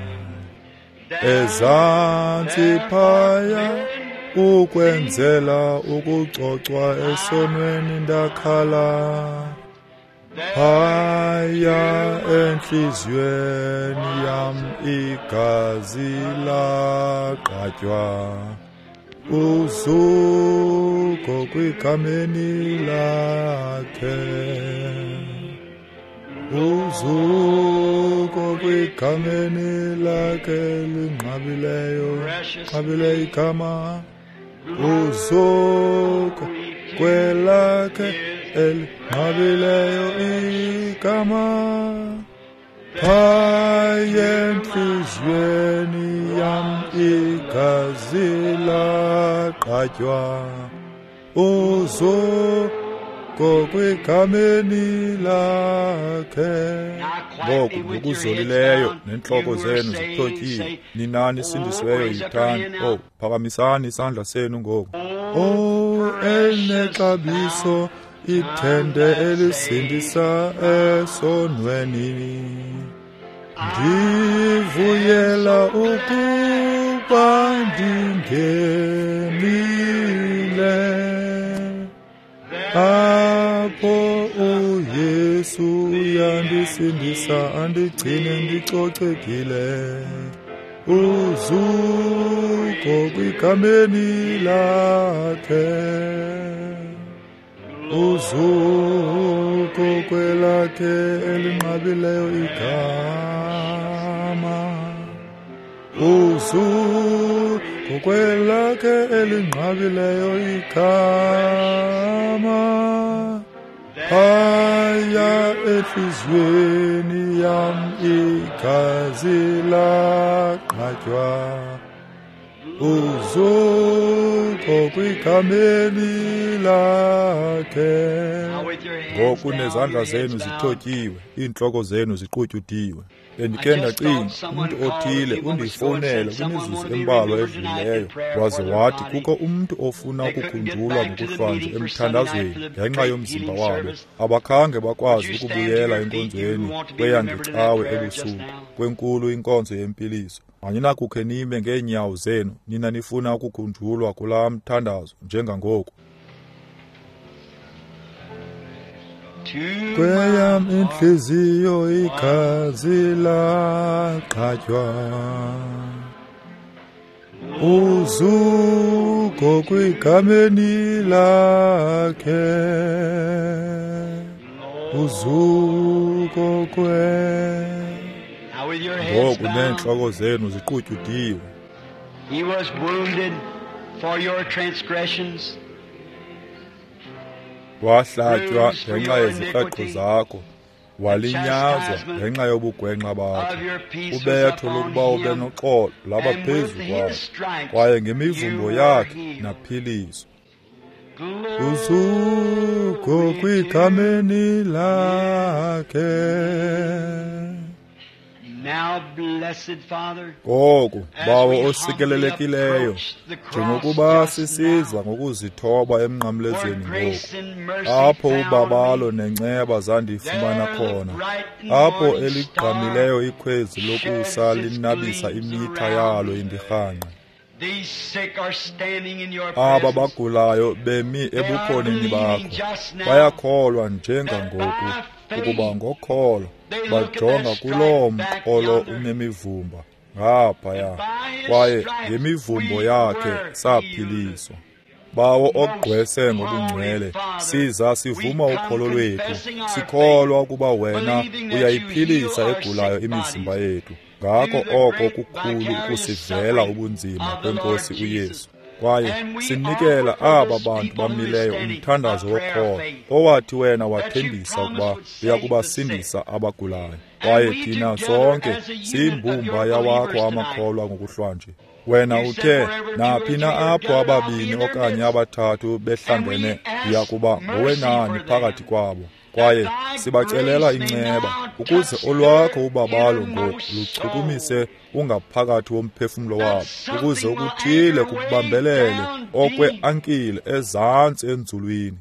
ezantsi phaya ukwenzela ukucocwa esonweni ndakhala, phaya entliziyweni yam igazi laqatywa, uzuko kwigameni lakhe, uzuko kwigameni lakhe linqabileyo, nqabile igama, uzuko kwelakhe elinqabileyo igama, phaya entliziyweni yam igazi laqatywa, uzuko kwigameni lakhe. Ngoku ngokuzolileyo neentloko zenu zithotyiwe, ninani sindisiweyo yithani. Oh, phakamisani isandla senu ngoku. Oh, elinexabiso ithende elisindisa esonweni, ndivuyela ukuba ndingenile apho uYesu uyandisindisa andigcine ndicocekile, uzuko kwigameni lakhe, uzuko kwelakhe elinqabileyo igama, uzuko kwelakhe elinqabileyo igama, phaya entliziyweni yam igazi laqatywa, uzuko kwigameni lakhe. Ngoku nezandla zenu zithotyiwe, iintloko zenu ziqutyudiwe. Bendikhe ndacinga umntu othile undifowunele kwimizuzu embalwa edlulileyo waze wathi kukho umntu ofuna ukukhunjulwa ngokuhlwanje emthandazweni ngenxa yomzimba wabo. Abakhange bakwazi ukubuyela enkonzweni kweyangecawe ebusuku kwenkulu inkonzo yempiliso. Aninakukhe nime ngeenyawo zenu nina nifuna ukukhunjulwa kulaa mthandazo njengangoku. Kweyam intliziyo igazi laqatywa, uzuko kwigameni lakhe, uzuko kwe. Ngoku neentloko zenu ziqutyudiwe. He was wounded for your transgressions, wahlatywa ngenxa yeziqaqo zakho, walinyazwa ngenxa yobugwenxa bakho. Ubetho lokuba ube noxolo laba phezu kwakho, kwaye ngemivumbo yakhe naphiliswa. Uzuko kwigameni lakhe. Ngoku, Bawo osikelelekileyo, njengokuba sisiza ngokuzithoba emnqamlezweni ngoku, apho ubabalo nenceba zandifumana khona, apho eligqamileyo ikhwezi lokusa linabisa imitha yalo indirhanqe. Aba bagulayo bemi ebukhoneni bakho, bayakholwa njengangoku ukuba ngokholo bajonga kuloo mqolo unemivumba ngaphaya, kwaye ngemivumbo yakhe saphiliswa. Bawo ogqwese ngobungcwele, siza sivuma ukholo lwethu, sikholwa ukuba wena uyayiphilisa egulayo imizimba yethu. Ngako oko kukhulu ukusivela ubunzima kweNkosi uYesu. Kwaye sinikela aba bantu bamileyo umthandazo wokholo owathi wena wathembisa ukuba uyakubasindisa abagulayo. Kwaye thina sonke siyimbumba yawakho amakholwa ngokuhlwanje. Wena uthe naphi na apho ababini okanye abathathu behlangene, ndiya kuba ngowenani phakathi kwabo. Kwaye sibacelela inceba ukuze olwakho ubabalo ngoku luchukumise ungaphakathi womphefumlo wabo, ukuze okuthile kubambelele okwe-ankile ezantsi enzulwini,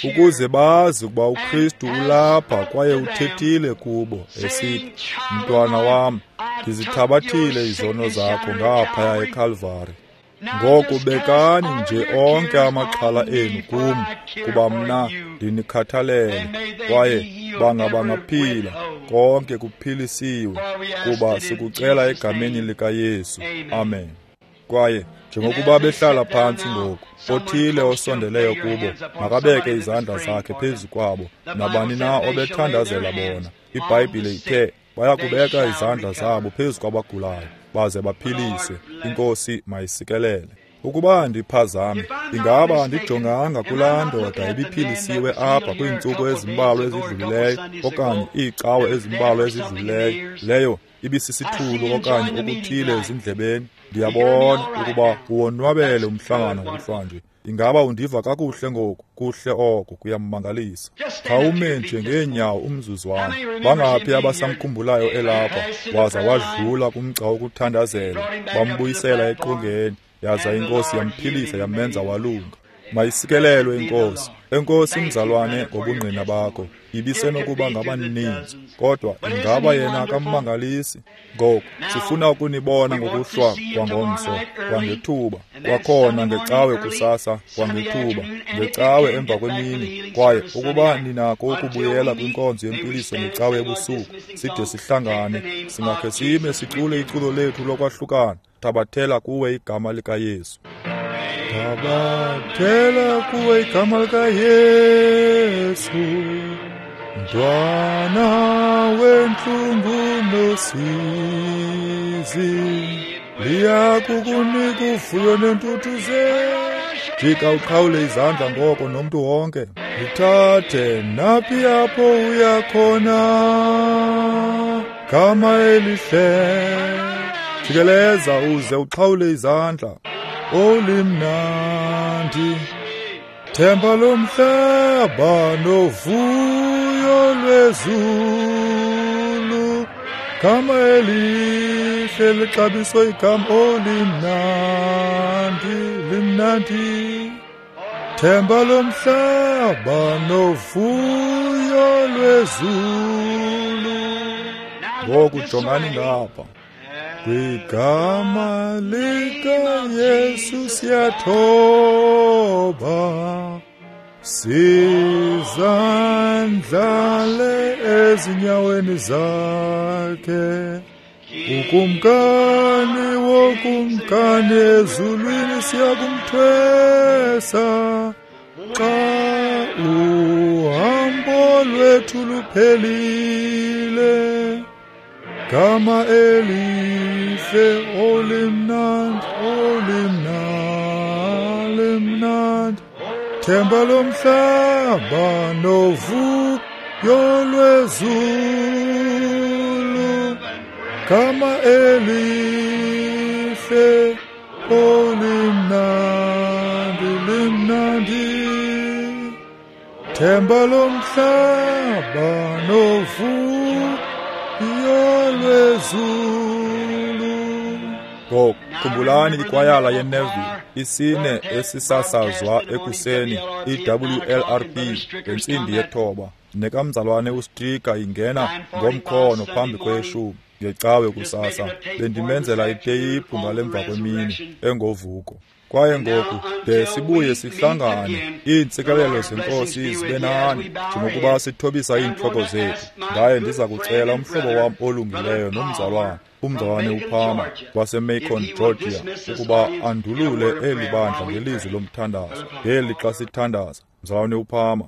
ukuze bazi ukuba uKristu ulapha kwaye uthethile kubo esithi, mntwana wam, ndizithabathile izono zakho ngaphaya eKalvari. Ngoku bekani nje onke amaxhala enu kum, kuba mna ndinikhathalele, kwaye bangaphila, konke kuphilisiwe, kuba sikucela egameni likaYesu. Amen. Kwaye njengokuba behlala phantsi ngoku, othile osondeleyo kubo makabeke izandla zakhe phezu kwabo, nabani na obethandazela bona. IBhayibhile ithe bayakubeka izandla zabo phezu kwabagulayo baze baphiliswe. INkosi mayisikelele. Ukuba ndiphazame, ingaba andijonganga kulaa ndoda ibiphilisiwe apha kwiintsuku ezimbalwa ezidlulileyo okanye iicawe ezimbalwa ezidlulileyo, leyo ibisisithulu okanye okuthile ezindlebeni? Ndiyabona ukuba uwonwabele umhlangano ngokuhlwanje. Ingaba undiva kakuhle ngoku? Kuhle oko, kuyamangalisa. Khawume nje ngeenyawo umzuzwana. Bangaphi abasamkhumbulayo elapha waza wadlula kumgca wokuthandazela, bambuyisela eqongeni, yaza iNkosi yamphilisa yamenza walunga. Mayisikelelwe iNkosi. Enkosi mzalwane ngobungqina bakho. Ibisenokuba ngabaninzi, kodwa ingaba yena akammangalisi? Ngoku sifuna ukunibona ngokuhlwa kwangomso, kwangethuba, kwakhona ngecawe kusasa, kwangethuba, ngecawe emva kwemini. Kwaye ukuba ninako ukubuyela kwinkonzo yempiliso ngecawe ebusuku, side sihlangane, singakhe sime sicule iculo lethu lokwahlukana. Thabathela kuwe igama likaYesu. Thabathela kuwe igama likaYesu, mntwana wentlungu nosizi, liyakukunika uvuyo nentuthuzelo. Jika uqhawule izandla ngoko nomntu wonke. Lithathe naphi apho uya khona, gama elihle. Jikeleza uze uqhawule izandla. Olimnandi themba lomhlaba novuyo lwezulu, gama elihle lixabiso igama olimnandi, limnandi. Themba lomhlaba novuyo lwezulu. Ngoku jongani ngapha. Kwigama likaYesu siyathoba, sizandlale ezinyaweni zakhe. Ukumkani wokumkani ezulwini siyakumthwesa, xa uhambo lwethu luphelile. Gama elihle olimnandi, olimnandi, limnandi, themba lomhlaba novuyo lwezulu. Gama elihle olimnandi, limnandi, themba lomhlaba novuyo lwezulu. Ngoku khumbulani ikwayala yeNeville, isine esisasazwa ekuseni, iWLRP ngentsimbi yethoba, nekamzalwane uStrika ingena ngomkhono phambi kweshumi ngecawe kusasa. Bendimenzela iteyiphu ngalemva kwemini engovuko. Kwaye ngoku de sibuye sihlangane, iintsikelelo zeNkosi zibe nani njengokuba sithobisa iintloko zethu. Ndaye ndiza kucela umhlobo wam olungileyo nomzalwane, umzalwane uPalmer waseMacon, Georgia, ukuba andulule eli bandla ngelizwi lomthandazo ngeli xa sithandaza. Mzalwane uPalmer.